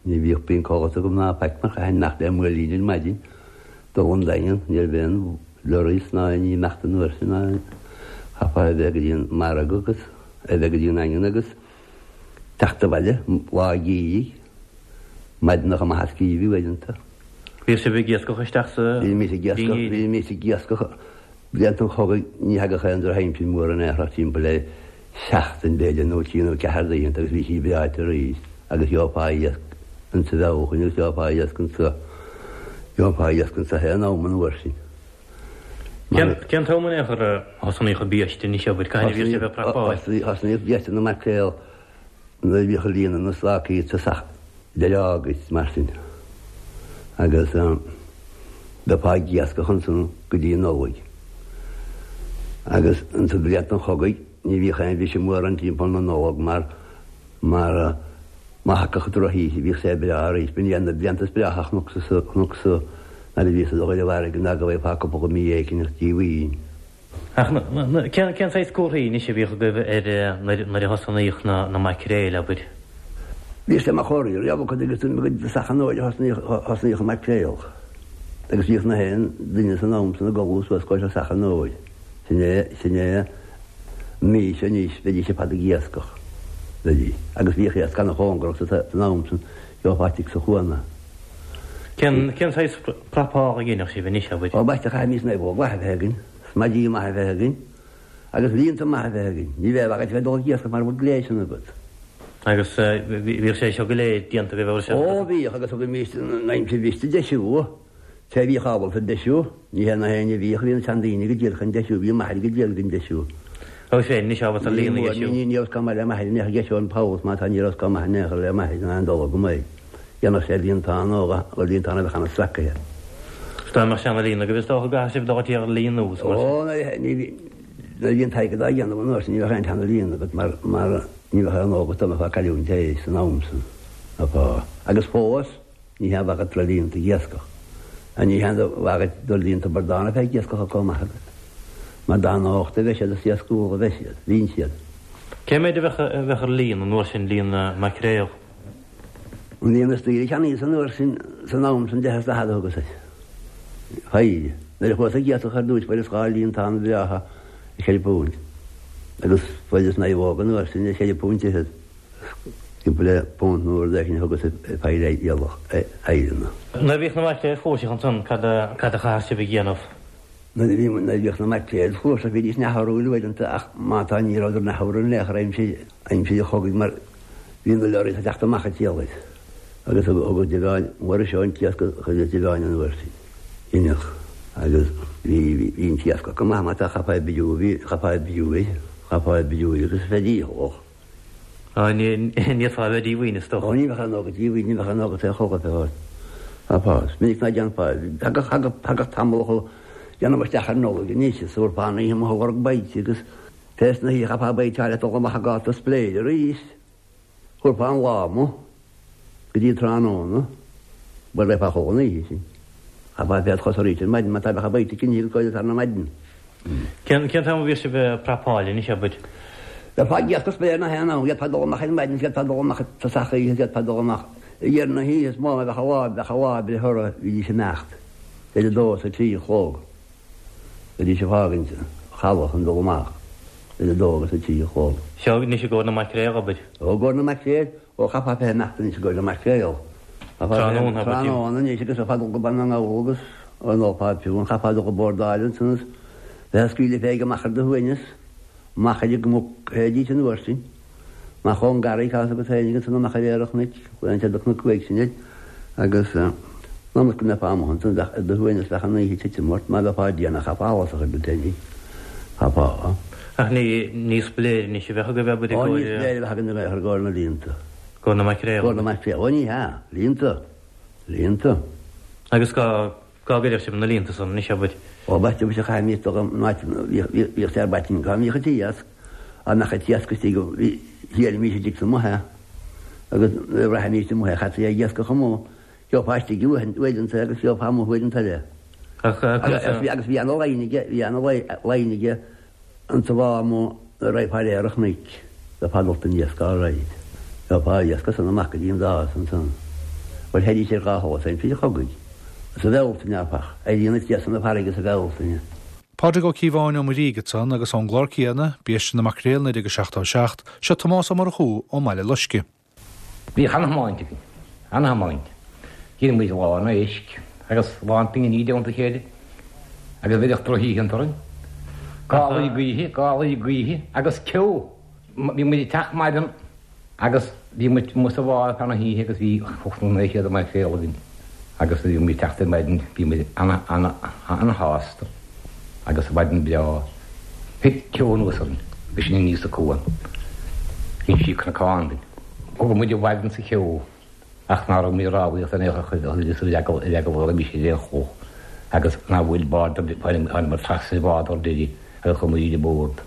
Ní bhíodh puinn codlata agam ná faic mar chaithfinn imeacht le maoilín ar maidin, dul 'on Daingean, ní raibh aon lorries ná aon ní imeacht an uair sin ná chaithfeá a bheith go dtí an margadh agus a bheith go dtí an Daingean agus teacht abhaile lá geimhridh, maidineacha maithe is geimhridh uaireanta. Bhíodh sibh ag iascach isteach sa Bhímis ag iascach, bhímis ag iascach blianta an chogaidh, ní thagadh aon drochaimsir mhór in aon chor ach timpeall le seachtain b'fhéidir nó trí nó ceathair d'oícheanta agus bhí sí breáite arís agus gheofá iasc insa Bhealtaine agus gheofá iasc insa gheofá iasc insa haon am an uair sin. Cén cén t-am in aon chor a thosnaíodh an biaiste anois abair, cathain a bhíodh sibh ag prapáil? Thosnaíodh biaiste na maicréal nuair a bhíodh ag líonadh na slacaí i dtosach deireadh Ágaist mar sin agus bheifeá ag iascach ansan go dtí an Nollaig. Agus insa blianta an chogaidh ní bhíodh aon bhriseadh mór ann timpeall na Nollag mar mar má thagadh drochoíche bhíodh sé breá arís. B'in iad na blianta is breátha a chonacsa chonacsa nuair a bhíos ag dul ar an bhfarraige ná go bhfaighfeá cúpla mí éigin díomhaoin. Ach cén cén saghas comharthaí anois a bhíodh agaibh ar nuair a thosnaíodh na na maicréil, abair? Bhí sé mar chomhartha riamh acu agus i dtosach an fhómhair a thosnaíodh an maicréal agus bhíodh na haon duine san am san ag ullmhú suas go tosach an fhómhair. Sin é, sin é an mhí seo anois, bheidís ar fad ag iascach, bheidís. Agus bhíodh iasc ana-chóngarach san am san, gheofá tigh sa chuan é. Cén, cén saghas prapála a dhéanadh sibh anois, abair? Ó, b'aisteach chaithimís naomhóg mhaith a bheith againn, smaidí maith a bheith againn. Agus líonta maith a bheith againn. Ní bheadh agat bheith ag dul ag iascach mara bhfuil gléasanna agat. Agus bhíodh sé seo go léir déanta agaibh ar Ó bhíodh agus thugaimís an aimsir bhriste deisiú. Té a bhíodh ábalta deisiú, ní hé na héinne a bhíodh, bhí na seandaoine go díreach chun deisiú, bhí m'athair go díreach chun deisiú. Agus féin anois ábalta líon a dheisiú. Ní ní raibh chomh maith le m'athair in aon chor deisiú an poll má tá ní raibh chomh maith in aon chor le m'athair in aon dul agam é. Dhéanfadh sé líontán ó ó líontán a bheadh ana-sracaithe. Is dá mbeadh seana-líon agaibh is dócha go gcaithfeadh sibh dul go dtí ar líon nua is mar sin. Ó ní bhí nuair a bhí an t-airgead á dhéanamh an uair sin ní bheadh aon tseana-líon agat mar mar ní bheadh aon agat dá mbeifeá ag cailliúint é san am san. Bheifeá. Agus fós ní haon mhaith agat dul líonta ag iascach. Ní haon mhaith agat dul líonta bradán a bheith ag iascach chomh maith agat. Mar dá nochta a bheidh siad is iascúla a bheidh siad. Bhíonn siad. Cé mhéid a bheadh a bheadh ar líon an uair sin líon na maicréal? An líon is daoire a cheannaíos an uair sin san am san deich is daichead a thugas air. Phéire. Nuair a chuas ag iascach ar dtúis fuaireas dhá líontán bhreátha ar cheithre púint. Agus fuaireas naomhóg an uair sin ar cheithre púint fhichead. Timpeall le punt nó rud éicint a thugas ar phéire iallach éireanna. Nuair a bhíodh na maicréil flúirseach ansan cad a cad a chaitheadh sibh a dhéanamh? Nuair a bhí nuair a bhíodh na maicréil flúirseach bhídís neamhthorthúil uaireanta ach má tá ní rabhadar neamhthorthúil in aon chor aimsir aimsir an chogaidh mar bhí na leoraí ag teacht amach ag triallaigh agus thugadh deamhain Mhuiris an t-iasc a chuir deamhain an uair sin inneach agus bhí bhí an t-iasc go maith má tá chaithfeá oibriú bhí chaithfeá oibriú é chaithfeá oibriú é agus bheith dícheallach. Á ní ní fheadfá a bheith díomhaoin is dócha. Ó ní bheadh aon óga díomhaoin ní bheadh aon óga taobh chomh fad. Thagadh, is minic ná déanfá, thagadh, thagadh, thagadh tamall a chomh déanamh isteach ar Nollaig anois is thabharfá an oíche amuigh ag lorg baoite agus tar éis na hoíche chaithfeá baoite a fháil le dul amach ag gáta spléir arís. Thabharfá an lá amuigh go dtí tráthnóna, bhuel bheifeá a chodladh an oíche sin. Chaithfeá bheith id' chosa arís ar maidin má tá bheadh baoite cinnte go dtí na maidin. Cén, cén t-am a bhíodh sibh ag prapáil anois, abair? Bheifeá ag iascach spléir na haon am, d'fhéadfá dul amach ar maidin, d'fhéadfá dul amach i dtosach oíche, d'fhéadfá dul amach i ndeireadh na hoíche, is mó a bheadh an lá, bheadh an lá ag breith orthu, bhídís ag imeacht. Idir a dó is a trí a chlog. Bhídís ag fágaint an chaladh chun dul amach. Idir a dó agus a trí a chlog. Seo anois i gcomhair na maicréal, abair. Ó, i gcomhair na maicréal, ó chaithfeá bheith ag imeacht anois i gcomhair na maicréal. Tráthnóna, abair. Tráthnóna anois agus bheifeá ag dul go Baile na nGall agus an ócáid fiú, an chaithfeá dul go bordáil ansan is bheith ag scaoileadh féig amach ar do shuaimhneas, amach ar an gcnoc, théidís an uair sin. Amach ón ngarraí, tá a fhios agat féinig ansan amach ar fhéar an chnoic, bhain siad an cnoc uaidh sin air agus ionas go mbeifeá amuigh ansan bheadh ar do shuaimhneas bheadh an oíche ag titim ort, má bheifeá déanach chaithfeá allas a chur duit féinig. Chaithfeá. Ach ní ní splaoir anois a bheadh agaibh abair i Ó ní gcomhair. splaoir a bheadh againn i gcomhair na líonta. Gcomhair na maicréal. Gcomhair na maicréal. Ó ní hea. Líonta. Líonta. Agus cá cá gcuirfeadh sibh na líonta san anois abair? Ó b'ait mise a chaith míosta agam in áit bhíodh sé ar baitín cá mbíodh an t-iasc, á mbeadh an t-iasc istigh go shílimís istigh sa mbaile agus nuair a bhraithimís amuigh é chaití ag iascach amuigh, gheofá istigh uaireanta agus gheofá amuigh uaireanta eile. Agus agus bhí ana-line aige, bhí ana-line aige an sa bhá amuigh nuair a raghfá ar fhéar an chnoic, bheifeá ag dul don iasc alright. Gheofá iasc as san amach go dtí an dás ansan. Bhuel théidís ar dhá sholas aimsir an chogaidh. Sa Bhealtaine, áfach, éiríonn an t-iasc na farraige sa Bhealtaine. Pádraig Ó Cíobháin ó Muirígh ansan agus ón gclár céanna, Biaiste na Maicréal naoi déag seachtó a seacht, seo Tomás Ó Murchú ó mBaile Loisce. Bhíodh ana-thiomáint againn, ana-thiomáint. Dheineadh muid lán éisc agus lán pinginí i dteannta a chéile agus bhíodh drochoícheanta orainn. Gálaí gaoithe, gálaí gaoithe agus ceo. Bhí muid ag teacht maidin agus bhí muid amuigh sa bhá ar feadh na hoíche agus bhí ocht nó naoi chéad maicréal againn agus bhí muid ag teacht ar maidin, bhí muid ana-ana-ana-shásta agus maidin breá. Thit ceo anuas orainn agus sinn aníos an cuan. Bhí sí cnocán dúinn. Thug muid i bhfad sa cheo ach ná raibh muid rámhaíocht in aon chor ar eagal ar eagal go raibh mise ar aon chloch agus ná bhfuil bád tháinig trasna bád ar deireadh agus chuaigh muid ar bord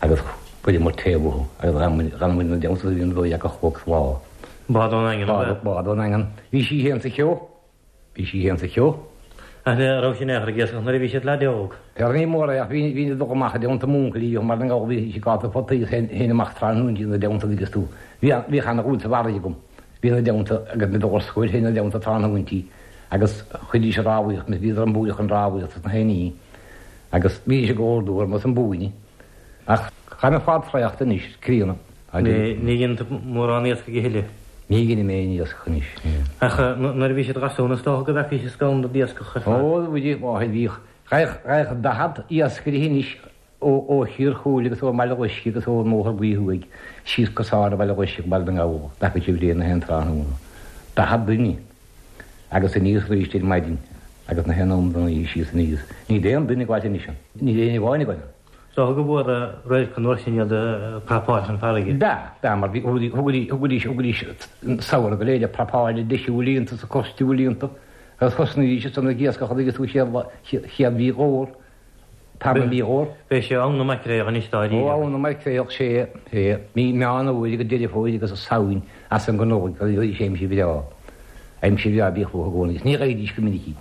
agus chuireamar taobh uathu agus ghan muid na dteannta bhí an dóigh acu chloch sa lá. Bád ón Daingean, ab ea? Bád ón Daingean. Bhí sí féin sa cheo. Bhí sí féin sa cheo. Ach ní raibh sin aon chor ag iascach nuair a bhí siad leaid óg. Ar ní mór é ach bhí bhí dul amach i dteannta m'uncail mar an gabhal bhí sí gáta potaí féin amach tráthnóna ina dteannta agus tú. Bhí bhí cheana dhúil sa bhfarraige agam. Bhí ina dteannta agus mé dul ar scoil féin ina dteannta tráthnóintí agus chuidís an rámhaíocht, bhíodar an buaidh chun rámhaíocht sna haon agus bhí sé go ordú ar mas an buaine. Ach chaith mé fad traochta anois, críonna. Ní ní dhéanann tú mórán iascaigh a thuilleadh. Ní dhéanaim aon iascach anois. Ach nuair a bhí siad garsún is dócha go bhfeacaís is gann d'iascach ar fad. Ó, bhí bhíodh ghaibh daichead iascaire anois ó ó Thír Chúil agus ó Bhaile Loisce agus ó mBóthar Buí Thuaidh síos cosán Bhaile Loisce Baile na nGall, dtacaigh siad bliain na haon tráthnóna. Daichead duine agus aníos arís ar maidin agus na haon am den oíche síos aníos. Ní aon duine ag anois ann. Ní aon amháin ag ann. Is dócha go bhfuair radharc an uair sin iad prapáil chun farraige. Ba, ba mar bhí thugaidís thugaidís thugaidís samhradh go léir prapáil deisiú líonta sa costiú líonta agus thosnaídís san ag iascach agus tú chéad chéad mhí dhór tarna mí dhór. B'é sé am na maicréal anois dáiríre. Ó am na maicréal sé sé mí Meán Fhómhair go Deireadh Fómhair agus Samhain as an gCnoig agus bhí sé aimsir bhreá. Aimsir bhreá bhíodh i gcónaí. Ní ghaibidís go minic í.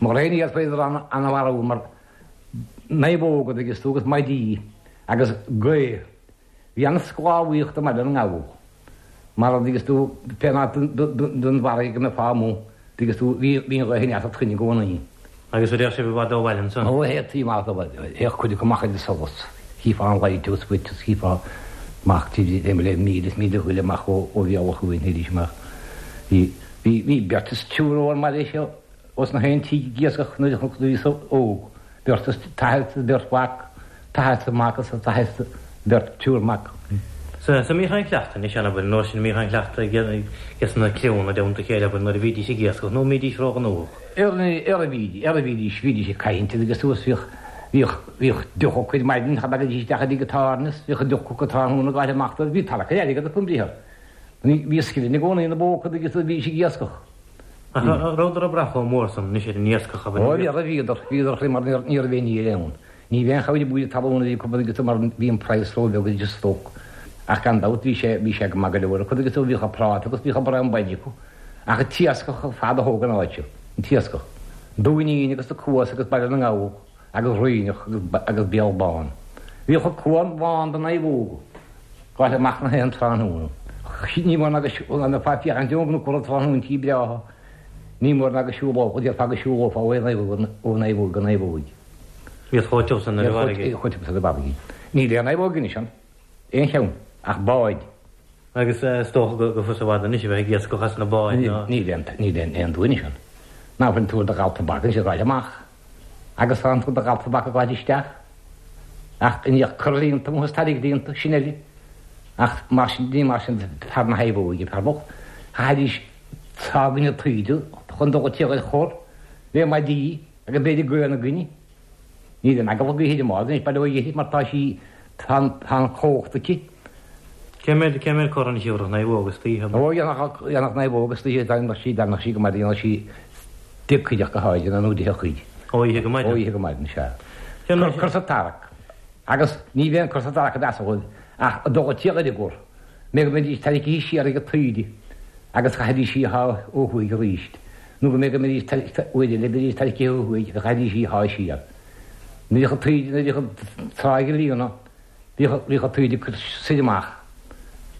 Mar aon iad féidir an an mar naomhóga agus tú agus maidí agus gaoth. Bhí an sclábhaíocht i mBaile na nGall. Mar agus tú pé den bhfarraige go mbeifeá amuigh agus tú bhí bhí an ghaoth ag teacht i gcónaí. Agus a raibh sibh i bhfad ó bhaile ansan. Ó théadtaí amach ó bhaile. Théadh cuid acu amach ar solas. Chífeá an lighthouse dhuit is chífeá amach le míle is míle chuile amach ó ó Bhéal Átha Chuain théidís amach. Bhí bhí bhí beirt is triúr ón mbaile seo os na haon tí ag iascach nuair a bhíos óg. Beirt is tathair is beirt mhac, tathair is mac is tathair is beirt triúr mac. Sa sa mbíodh aon chleachtadh anois ann abair an uair sin mbíodh aon chleachtadh ag ag sna criúnna i dteannta a chéile abair nuair a bhídís ag iascach nó mbídís róghnóthach. Ar ar a bhídís ar a bhídís bhídís ag caint agus suas bhíodh bhíodh bhíodh deoch acu ar maidin cha bhfeicfidís isteach i dtigh an tábhairne bhíodh deoch acu tráthnóna ag gabháil amach dóibh bhí tarrac ar airgead acu an briathar. Ní bhí scileanna i gcónaí ina bpóca agus bhí siad ag iascach. Ach rabhadar ag brath chomh mór san anois ar an iascach abair. Ó bhí bhíodar bhíodar mar ní raibh aon ní eile ann. Ní bhí aon chabhair buaile talún a bhí acu agus mar bhí an praghas róbheag agus stoc. Ach gan dabht bhí sé bhí sé go maith go leor acu agus bhíodh a práta agus bhíodh a braon bainne acu. Ach an t-iascach fad a thóg an áit seo, an t-iascach. Dúinín agus a Cuas agus Baile na nGall agus Ríneach agus Béal Bán. Bhíodh a cuan lán de naomhóga. Gabháil amach na haon tráthnóna. Ní bhain agus na féachaint nó cur tráthnóintí breátha. Ní mór ná go siúlófá, déarfá go siúlófá ó ó naomhóg go naomhóg. Bhíod chomh tiubh san ar an bhfarraige. Chomh tiubh san ar an bhfarraige. Níl aon naomhóg anois ann, aon cheann, ach báid. Agus is dócha go fusa i bhfad anois a bheith ag iascach as na báid ná. Níl aon, níl aon, aon duine anois ann. Ná fuil an tuar do ghal tobac anois ag gabháil amach. Agus tá an tuar do ghal tobac ag gabháil isteach. Ach i ndiaidh cur líonta amuigh is tarraingt líonta, sin eile. Ach mar sin, ní mar sin fear na naomhóige, fear bocht. Chaithfidís sá na taoide chun dul tír ar chor le maidí agus b'fhéidir gaoth na gcoinne. Níl aon eagla gaoithe ar an mbád anois, bail ó Dhia uirthi, mar tá sí, tá an chumhacht aici. Cé mhéad, cé mhéad cor anois a thabharfadh naomhóg istoíche? Ó, dhéanfadh, dhéanfadh naomhóg istoíche, dhéanfadh sí, dhéanfadh sí go maidin, dhéanfadh sí deich cuid ach go háirithe, nó deich cuid. Ó oíche go maidin? Ó oíche go maidin, sea. Cur sa tarrac. Agus ní bheidh an cur sa tarrac a mheas dhóibh ach a dul tír ar an gcor, mé go mbeidís tarraingthe siar ag an taoide agus chaithfidís í a shá ó thuaidh arís, nó go mbeidh go mbeidís uair eile beidís tarraingthe ó thuaidh agus chaithfidís í a shá siar. Nuair a bhíodh an taoide, nuair a bhíodh an tráigh ag líonadh, bhíodh, bhíodh an taoide ag cur soir amach,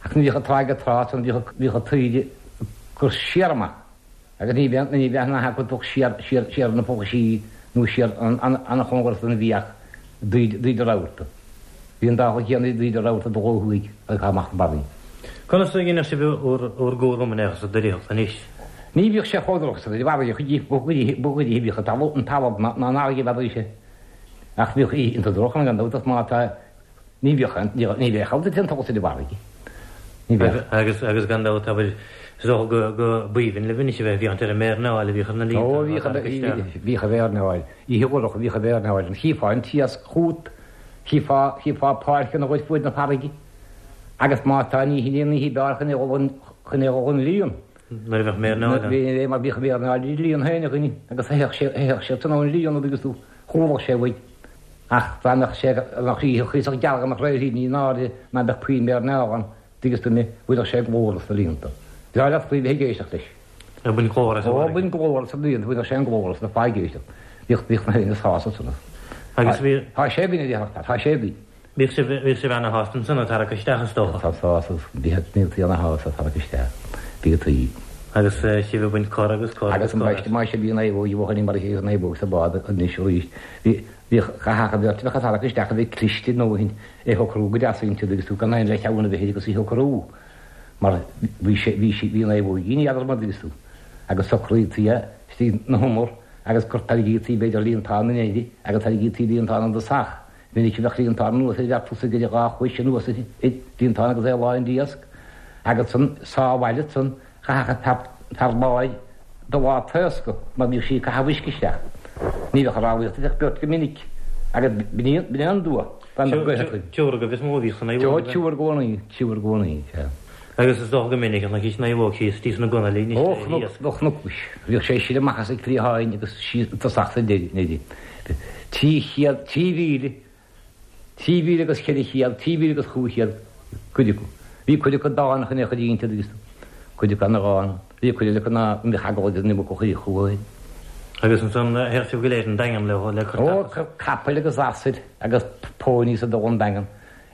ach nuair a bhíodh an tráigh ag trá ansan bhíodh, bhíodh an taoide ag cur siar amach. Agus ní bheadh, ní bheadh na hacu dul siar, siar, siar na fochaisí nó siar an-chóngarach don bhfiach dtaoide rabharta. Bhí an dá chuid chéanna dtaoide rabharta dul ó thuaidh agus amach na barraí. Conas a dhéanadh sibh bhur gcúram in aon chor sa doireacht anois? Ní bhíodh sé chomh droch sa bhfarraige, ba ghoidí a bhíodh an talamh, an talamh ná an fharraige a bheadh sé. Ach bhíodh iontach droch ann gan dabht ach má tá, ní bhíodh aon, ní bheadh aon duine tógtha sa bhfarraige. Ní bheadh. Agus, agus gan dabht abair, is dócha go, go b'aoibhinn libh anois a bheith ag féachaint ar an méarnáil a bhíodh ar na líonta Ó, bhíodh, bhíodh an mhéarnáil, oíche dhorcha bhíodh an mhéarnáil ann, chífeá an t-iasc chugat, chífeá, chífeá páirceanna dhuit fuaid na farraige. Agus má tá ní hin an oíche b'fhearr chun é dhul an, chun é dhul an líon. Nuair a bheadh méarnáil ann. Bhí, mar bhíodh an mhéarnáil ag líon féin againn agus théadh sé, théadh sé san an líon agus tú, chualach sé uaidh. Ach dá mbeadh sé, dá mbeadh oíche chuíosach geal go mbeadh réidh ní in airde ná beadh puinn méarnáil ann, dtuigeann tú mé, bhfuileadh sé glór sna líonta. Bhreá leat faoi bheith ag éisteacht leis. Ag baint glór as an Ó, bhfarraige. baint glór as an líonta, bhfuileadh sé an glór as na fáidh ag éisteacht. Bhíodh, bhíodh na héinne sásta san. Agus bhí. Tá sé againn a déarfadh, tá sé againn. Bhíodh sibh, bhíodh sibh ana-shásta ansan ag tarrac isteach is dócha. Tá sásta, bhíodh, bhíodh ana-shásta ag tarrac isteach. Bhíodh taoi. Agus sibh ag baint cor agus cor Agus agus an cor baiste maith bhí an naomhóg, bhí mar a bhí an naomhóg sa bád anois arís. Bhí, bhíodh, chaithfeadh an bheirt a bheadh ag tarrac isteach a bheith cliste a ndóthain é shocrú go deas inti agus tú gan aon leath-cheann a bheith air agus í shocrú mar bhí sé, bhí sí, bhí an naomhóg ní fheadar mar agus tú. Agus socraítí é istigh na humar agus gur tairgítí b'fhéidir líontán in éirí agus tairgítí líontán an dosach. Minic a bheadh líontán anuas air, bheadh tusa idir dhá chois anuas air, líontán agus é lán d'iasc, agus san sábháil san chaithfeadh an fear báid do lá taoscadh mar bhíodh sí ag caitheamh uisce isteach. Ní bheadh rámhaíocht ach beart go minic agus b'in é an dua dá mbeadh gaoth acu. Triúr agaibh is mó a bhíodh san Ó, triúr i gcónaí, triúr i gcónaí, sea. Agus is dócha go minic a chonaic naomhóg síos sna gunailí anois Ó, le chnoc, hiasc. do chnoc, bhíodh sé siar amach as an gcriatháin agus síos i dtosach sa deireadh. Trí chéad, trí mhíle, trí mhíle agus ceithre chéad, trí mhíle agus chúig chéad, cuid acu. Bhí cuid acu dána chun é a chur inti agus cuid acu ana-dhána. Bhí cuid eile acu ná mbeadh eagla idir an iomarca chuile chuaigh. Agus ansan théadh sibh go léir an Daingean le le cur Ó, tapas. capaill agus asail agus pónaí sa dul an Daingean.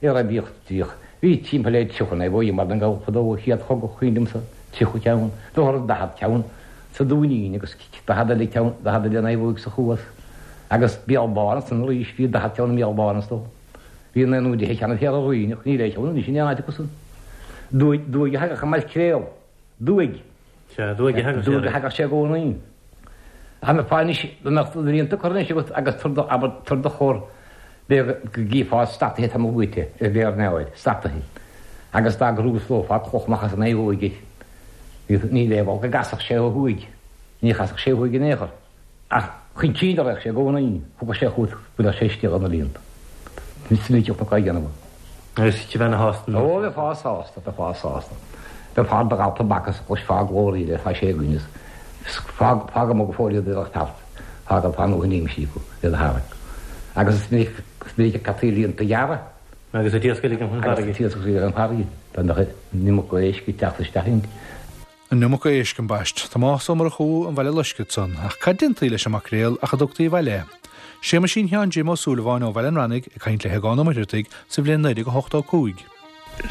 Ar a bhíodh, bhíodh, bhí timpeall le tríocha naomhóg mar an gabhal fadó a chéad chogadh chuimhin liomsa, tríocha ceann, dóthair daichead ceann sa Dúinín agus daichead eile ceann, daichead eile naomhóg sa Chuas. Agus Béal Bán ansan arís, bhí daichead ceann i mBéal Bán is dócha. Bhí naoi nó deich ceann thiar i Rúinneach, níl aon cheann anois in aon áit acu san. Duaigh, duaigh a thagadh i Maircréal. Duaigh. Sea, duaigh a thagadh sé. Duaigh a thagadh sé i gcónaí. Ach na fáinní, dá mbeadh na líonta curtha anois agat agus tabhair do, abair, tabhair do chor, b'fhéidir go gcífeá stataithe tamall uait ar mhéarnáil, stataithe. Agus dá gcrúslófá cloch amach as an naomhóig air, ní léamh go gcasfadh sé ó thuaidh. Ní chasfadh sé ó thuaidh in aon chor. Ach chun cinn a raghadh sé i gcónaí, thiocfadh sé chugat, buailfeadh sé istigh ar na líonta. Ní smíteach na caigheanna. Agus bheifeá ana-shásta. Ó, bheifeá sásta, bheifeá sásta. Bheifeá do ghal tobac is chloisfeá glór eile, tá sé againn is fág, fág amuigh go fóill iad ar fear, fág tá nó in imsí acu, iad a tharrac. Agus is minic, is minic a caití líonta ghearra. Agus an t-iasc uilig an Agus farraige. an t-iasc uilig an farraige. Dá mbeadh an iomarca éisc ag teacht isteach inti. An iomarca éisc ambaist. Tomás Ó Murchú an Bhaile Loiscthe ansan, ach cad déantaí leis an maicréal ach a dtugtaí abhaile é? Séamaisín Sheáin Jim Ó Súilleabháin ó Bhaile an Rannaigh ag caint le hAogán Ó Muircheartaigh sa bhliain naoi déag a hocht ó cúig.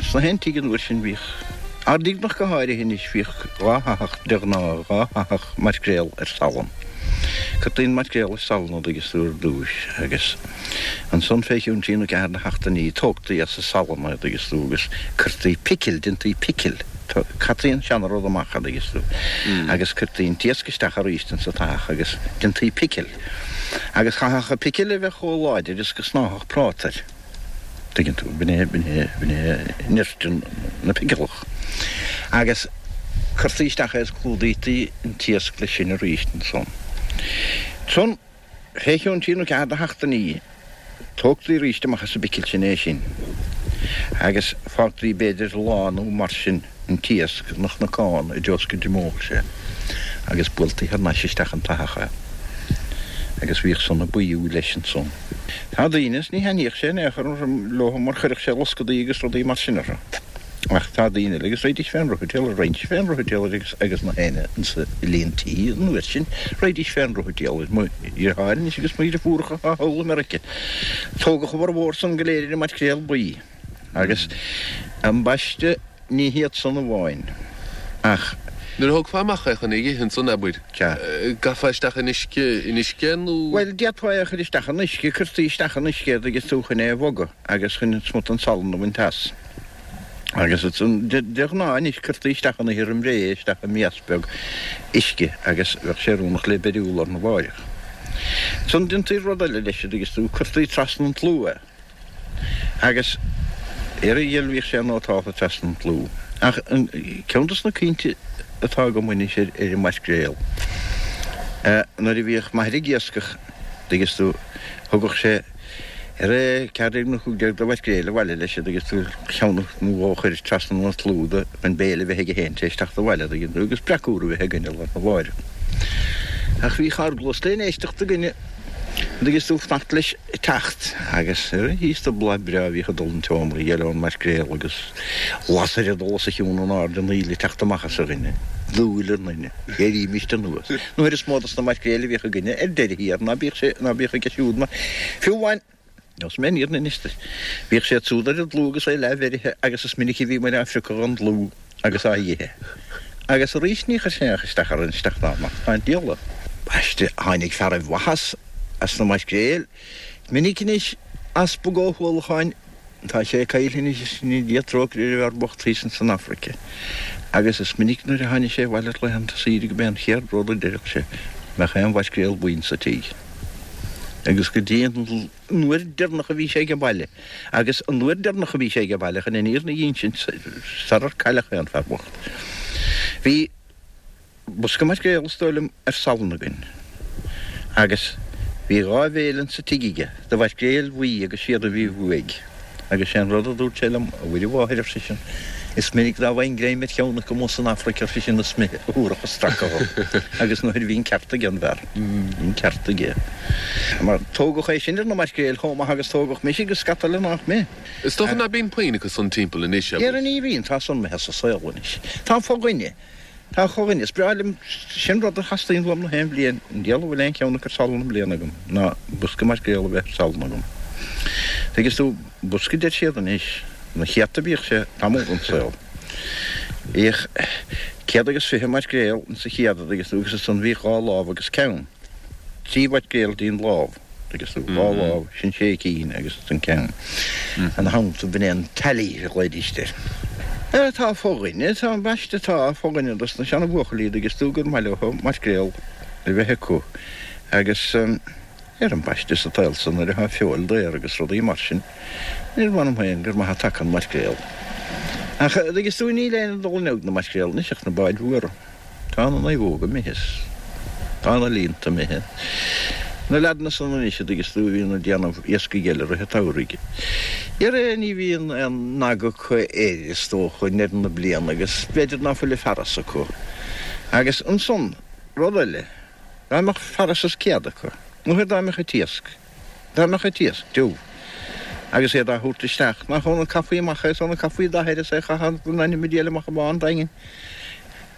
Sna haontaí an uair sin bhíodh Ard Fhíodhnach go háirithe anois bhíodh dhá thathach de ghnáth, dhá thathach maircréal ar salann. Cuirtí an maircréal ar salann an dtuigeann tú ar dtúis agus ansan fé chionn trí nó ceathair de sheachtainí tógtaí as an salann é an dtuigeann tú agus cuirtí picil, déantaí picil, caití an seana rud amach an dtuigeann tú agus cuirtí an t-iasc isteach arís insa tathach agus déantaí picil. Agus chaithfeadh an picil a bheith chomh láidir is go snáfadh práta air. Tuigeann tú, b'in é, b'in é, b'in é nirt na picileach. Agus cuirtí isteach é is clúdaítí an t-iasc leis sin arís ansan. Ansan, fé chionn trí nó ceathair de sheachtainí, tógtaí arís amach as an bpicil sin é sin. Agus fágtaí b'fhéidir lá nó mar sin an t-iasc ina chnocán i dtreo is go dtriomódh sé. Agus buailtí thar n-ais isteach an tathach é. Agus bhíodh san ag buíú leis ansan. Tá daoine, is ní thaitníodh sé in aon chor leo mar chuireadh sé loscadaí agus rudaí mar sin orthu. Ach tá daoine eile agus raghaidís fén ruathaitéal, raghaidís fén ruathaitéal agus agus na héinne insa líon tí an uair sin, raghaidís fén ruathaitéal. Mo dheartháir anois agus mo dheirfiúracha atá thall i Meirice. Tógadh a bhformhór san go léir ar an maircréal buí. Agus ambaiste ní hiad san amháin, ach. Nuair a thógfá amach é chun é a dh'ithe ansan, abair, gcaithfeá isteach in uisce, in uisce é nó? Bhuel, d'fhéadfá é a chur isteach in uisce, cuirtí isteach in uisce é agus tú chun é a bhogadh agus chun smut an salann a bhaint as. Agus ansan, de ghnáth anois, cuirtí isteach in ithir roim ré é, isteach i mias beag uisce agus bheadh sé oiriúnach le beiriú lá arna mháireach. Ansan déantaí rud eile leis, agus tú, cuirtí trasna an tlú é. Agus ar a dhil bhíodh sé nótálta trasna an tlú. Ach ceann dos na cuimhnte atá agam anois ar an maircréal, nuair a bhíodh m'athair ag iascach, dtuigeann tú, thugadh sé ar a ceathair déag nó cúig déag de mhaircréil abhaile leis, dtuigeann tú, ceann nó dhó a chur trasna an tlú do chun béile a bheith aige féin tar éis teacht abhaile, dtuigeann tú, agus breac úr a bheith againne lá arna mháireach. Ach bhíodh ár gcluas len éisteacht againne. An dtuigeann tú, fanacht leis teacht agus thíos do bláth breá a bhíodh ag dul an tseomra, gheil ón maircréal agus lasair ag dul os a chionn in airde an fhuil ag teacht amach as a dhuine, dúil i nduine, éirímist anuas. An uair is mó dos na maircréil a bhíodh againne ar deireadh thiar ná bíodh sé, ná bíodh aige siúd mar, fiú amháin, Neosfaidh mé an fhírinne anois duit. Bhíodh sé siúd ar an dlúth agus é leathbheirithe agus is minic a bhí muid á phriocadh gon dlúth agus á dh'ithe. Agus arís ní chuir sé aon isteach orainn isteach ná amach. Tá an diabhal. Ambaiste, tháinig fearaibh mhaitheas as na maircréil. Minic anois Easpag Ó hUallacháin, tá sé caillte anois is go ndéana Dia trócaire ar an bhfear bocht thíos ins an Afraic. Agus is minic nuair a tháinig sé abhaile ar laethanta saoire go b'é an chéad rud a deireadh sé, mbeadh aon mhaircréal buí insa tigh. Agus go dtí an uair deireanach a bhí sé age baile, agus an uair deireanach a bhí sé age baile, chun an fhírinne a dh'ínsint, sarar cailleadh é an fear bocht, bhí bosca maircréal, is dóigh liom, ar salann againn, agus bhí dhá bhéile insa tigh aige de mhaircréil bhuí agus siad a bhí uaidh. Agus sé an rud a dúirt sé liom, a Mhuire Mháthair, ar seisean, is minic dá bhfaighinn greim ar cheann acu amuigh san Afraic, ar seisean, is mé a thabharfadh an stracadh dhom. Agus nuair a bhí an ceart aige an bhfear, bhí an ceart aige. Mar tógadh é sin ar na maircréil chomh maith agus tógadh mise agus scata eile nách mé. Is dócha ná bíonn puinn acu san timpeall anois, abair. Dhera ní bhíonn, tá san imithe as an saol anois. Tá fo-dhuine. Tá fo-dhuine. Is breá liom, sin rud a theastaíonn uaim na haon bhliain, an diabhal a bhfuil aon cheann acu ar salann i mbliana agam, ná bosca maircréal a bheith ar salann agam. Tuigeann tú, bosca deir siad anois, na céadta bhíodh sé tamall den saol. Bhíodh céad agus fiche maircréal insa chéad, a dtuigeann tú, agus ansan bhíodh dhá lámh agus ceann. Trí mhaircréal dtí'n lámh, dtuigeann tú, dhá lámh, sin sé cinn agus ansan ceann. Ina theannta, b'in é an tally a ghlaoidíst air. Tá fo-dhuine, tá, ambaiste, tá fo-dhuine dos na seana-bhuachaillí, a dtuigeann tú, gur maith leo maircréal a bheith acu agus. Ar ambaiste sa tsaol so nuair atá feoil daor agus rudaí mar sin, níor mh'anam féin gur maith a taca an maircréal. Ach dtuigeann tú, níl éinne ag dul inniu ag na maircréil anois ach na báid mhóra. Tá na naomhóga imithe is tá na líonta imithe. Na leaideanna san anois a dtuigeann tú a bhíonn ag déanamh iascaigh eile i rith an tsamhraidh. Dhera ní bhíonn aon aga acu air is dócha i ndeireadh na bliana agus b'fhéidir ná fuil a fearas acu. Agus ansan, rud eile, Dá mbeadh fearas is céad acu, nó dá mbeadh an t-iasc, dá mbeadh an t-iasc tiubh, agus iad á thabhairt isteach, nach óna caithfí amach é, is óna caithfí dath air is é a chaitheamh in ainm an diabhail amach i mbá an Daingin.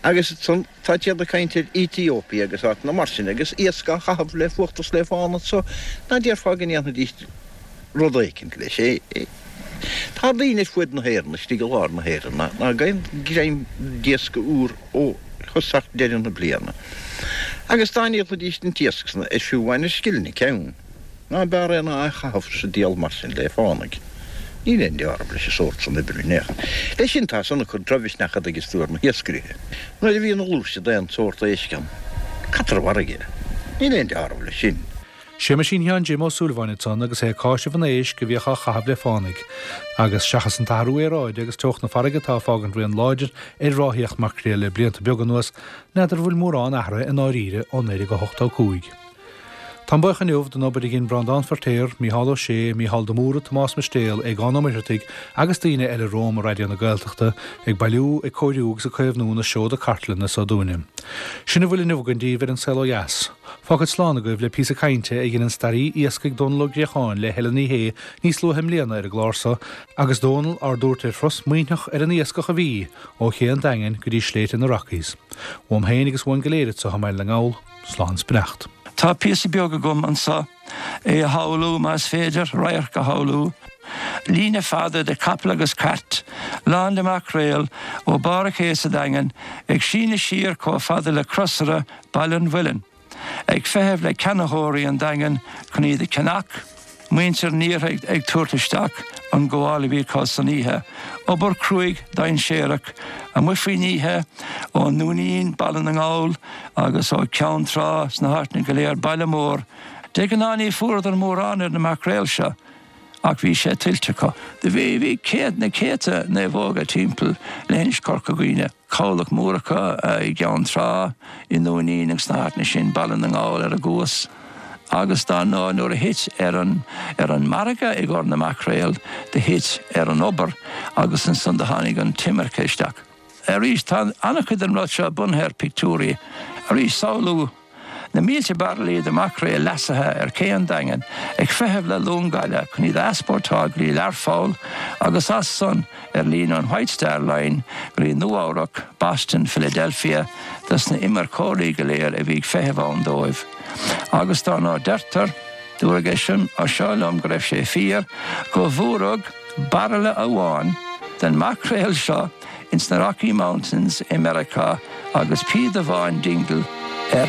Agus ansan tá siad ag caint ar Ethiopia agus áiteanna mar sin agus iasc á chaitheamh le fuacht is le fána anso, ná déarfá go ndéanfaidís rud éicint leis. Tá daoine ar fuaid na hÉireann, istigh i lár na hÉireann, ná gheibheann greim d'iasc úr ó thosach deireadh na bliana. Agus dá ndíolfaidís an t-iasc san ar fiú amháin ar scilling an ceann, ná b'fhearr é ná é a chaitheamh sa diabhal mar sin le fánaidh. Níl aon deáramh leis an sórt san oibre in aon chor. Leis sin tá san ag cur drochmhisneach a dtuigeas tú ar na hiascairithe. Nuair a bhíonn a ghluaiste d'aon sórt éisc ann, caitear i bhfarraige é. Níl aon deáramh leis sin. Séamaisín Sheáin Jim Ó Súilleabháin ansan agus é ag cáiseamh an éisc a bhíodh á chaitheamh le fánaidh. Agus seachas an t-athrú aeráide agus teocht na farraige atá ag fágaint rian láidir ar ráthaíocht maicréil le blianta beaga anuas, n'fheadar an bhfuil mórán athraithe i ndáiríre ó naoi déag a hochtó cúig. Táim buíoch inniu don obair a dhein Breandán Feirtéar, Mícheál Ó Sé, Mícheál de Mórdha, Tomás Mistéal, Aogán Ó Muircheartaigh agus daoine eile romham i Raidió na Gaeltachta ag bailiú, ag cóiriú agus ag caomhnú na seoda cartlainne so dúinne. Sin a bhfuil inniu againn daoibh ar An Saol Ó Dheas. Fágfad slán agaibh le píosa cainte a dhein an staraí iascaigh Dónal Ó Griacháin le Helen Ní Shé níos luaithe i mbliana ar an gclár so agus Dónal ár dtabhairt ar thuras maoithneach ar an iascach a bhí ó Ché an Daingin go dtí sléibhte na Rockies. Uaim féin agus uainn go léir anseo i mBaile na nGall, slán 's beannacht. Tá píosa beag agam anso, é a shamhlú más féidir, radharc a shamhlú. Líne fada de chapaill agus cairt, lán de mhaicréal, ó barr an ché sa Daingean, ag síneadh siar chomh fada le Crosaire Baile an Mhuilinn, ag feitheamh le ceannaitheoirí an Daingin chun iad a cheannach, muintir an iarthair ag tabhairt isteach an gabháil a bhí acu san oíche, obair chruaidh dainséarach amuigh faoin oíche, ón nDúinín, Baile na nGall agus ó Cheann Trá sna háiteanna go léir, Baile Mór. De ghnáth ní fuaireadar mórán ar na maicréil seo ach bhí sé tuillte acu. Do bhí bhí céad na céadta naomhóga timpeall leithinis Chorca Dhuibhne. Cabhlach mór acu i gCeann Trá, i nDúinín agus sna háiteanna sin, Baile na nGall ar a gcuas. Agus dar ndóigh nuair a thit ar an ar an margadh i gcomhair na maicréal, do thit ar an obair agus ansan do tháinig an t-imirce isteach. Arís, tá an-chuid den rud seo bunaithe ar pictiúirí. Arís, samhlú na mílte bairillí de mhaicréal leasaithe ar ché an Daingin ag feitheamh le long gaile chun iad a easpórtáil go dtí Learpholl agus as san ar líne an White Star Line go dtí Nua-Eabhrac, Boston, Philadelphia dos na imirceoirí go léir a bhí ag feitheamh ann dóibh. Agus dar ndóigh deirtear, dúradh é sin seo liom go raibh sé fíor, go bhfuaradh bairille amháin den maicréal seo ins na Rocky Mountains i Meiriceá agus píoda amháin Dingle ar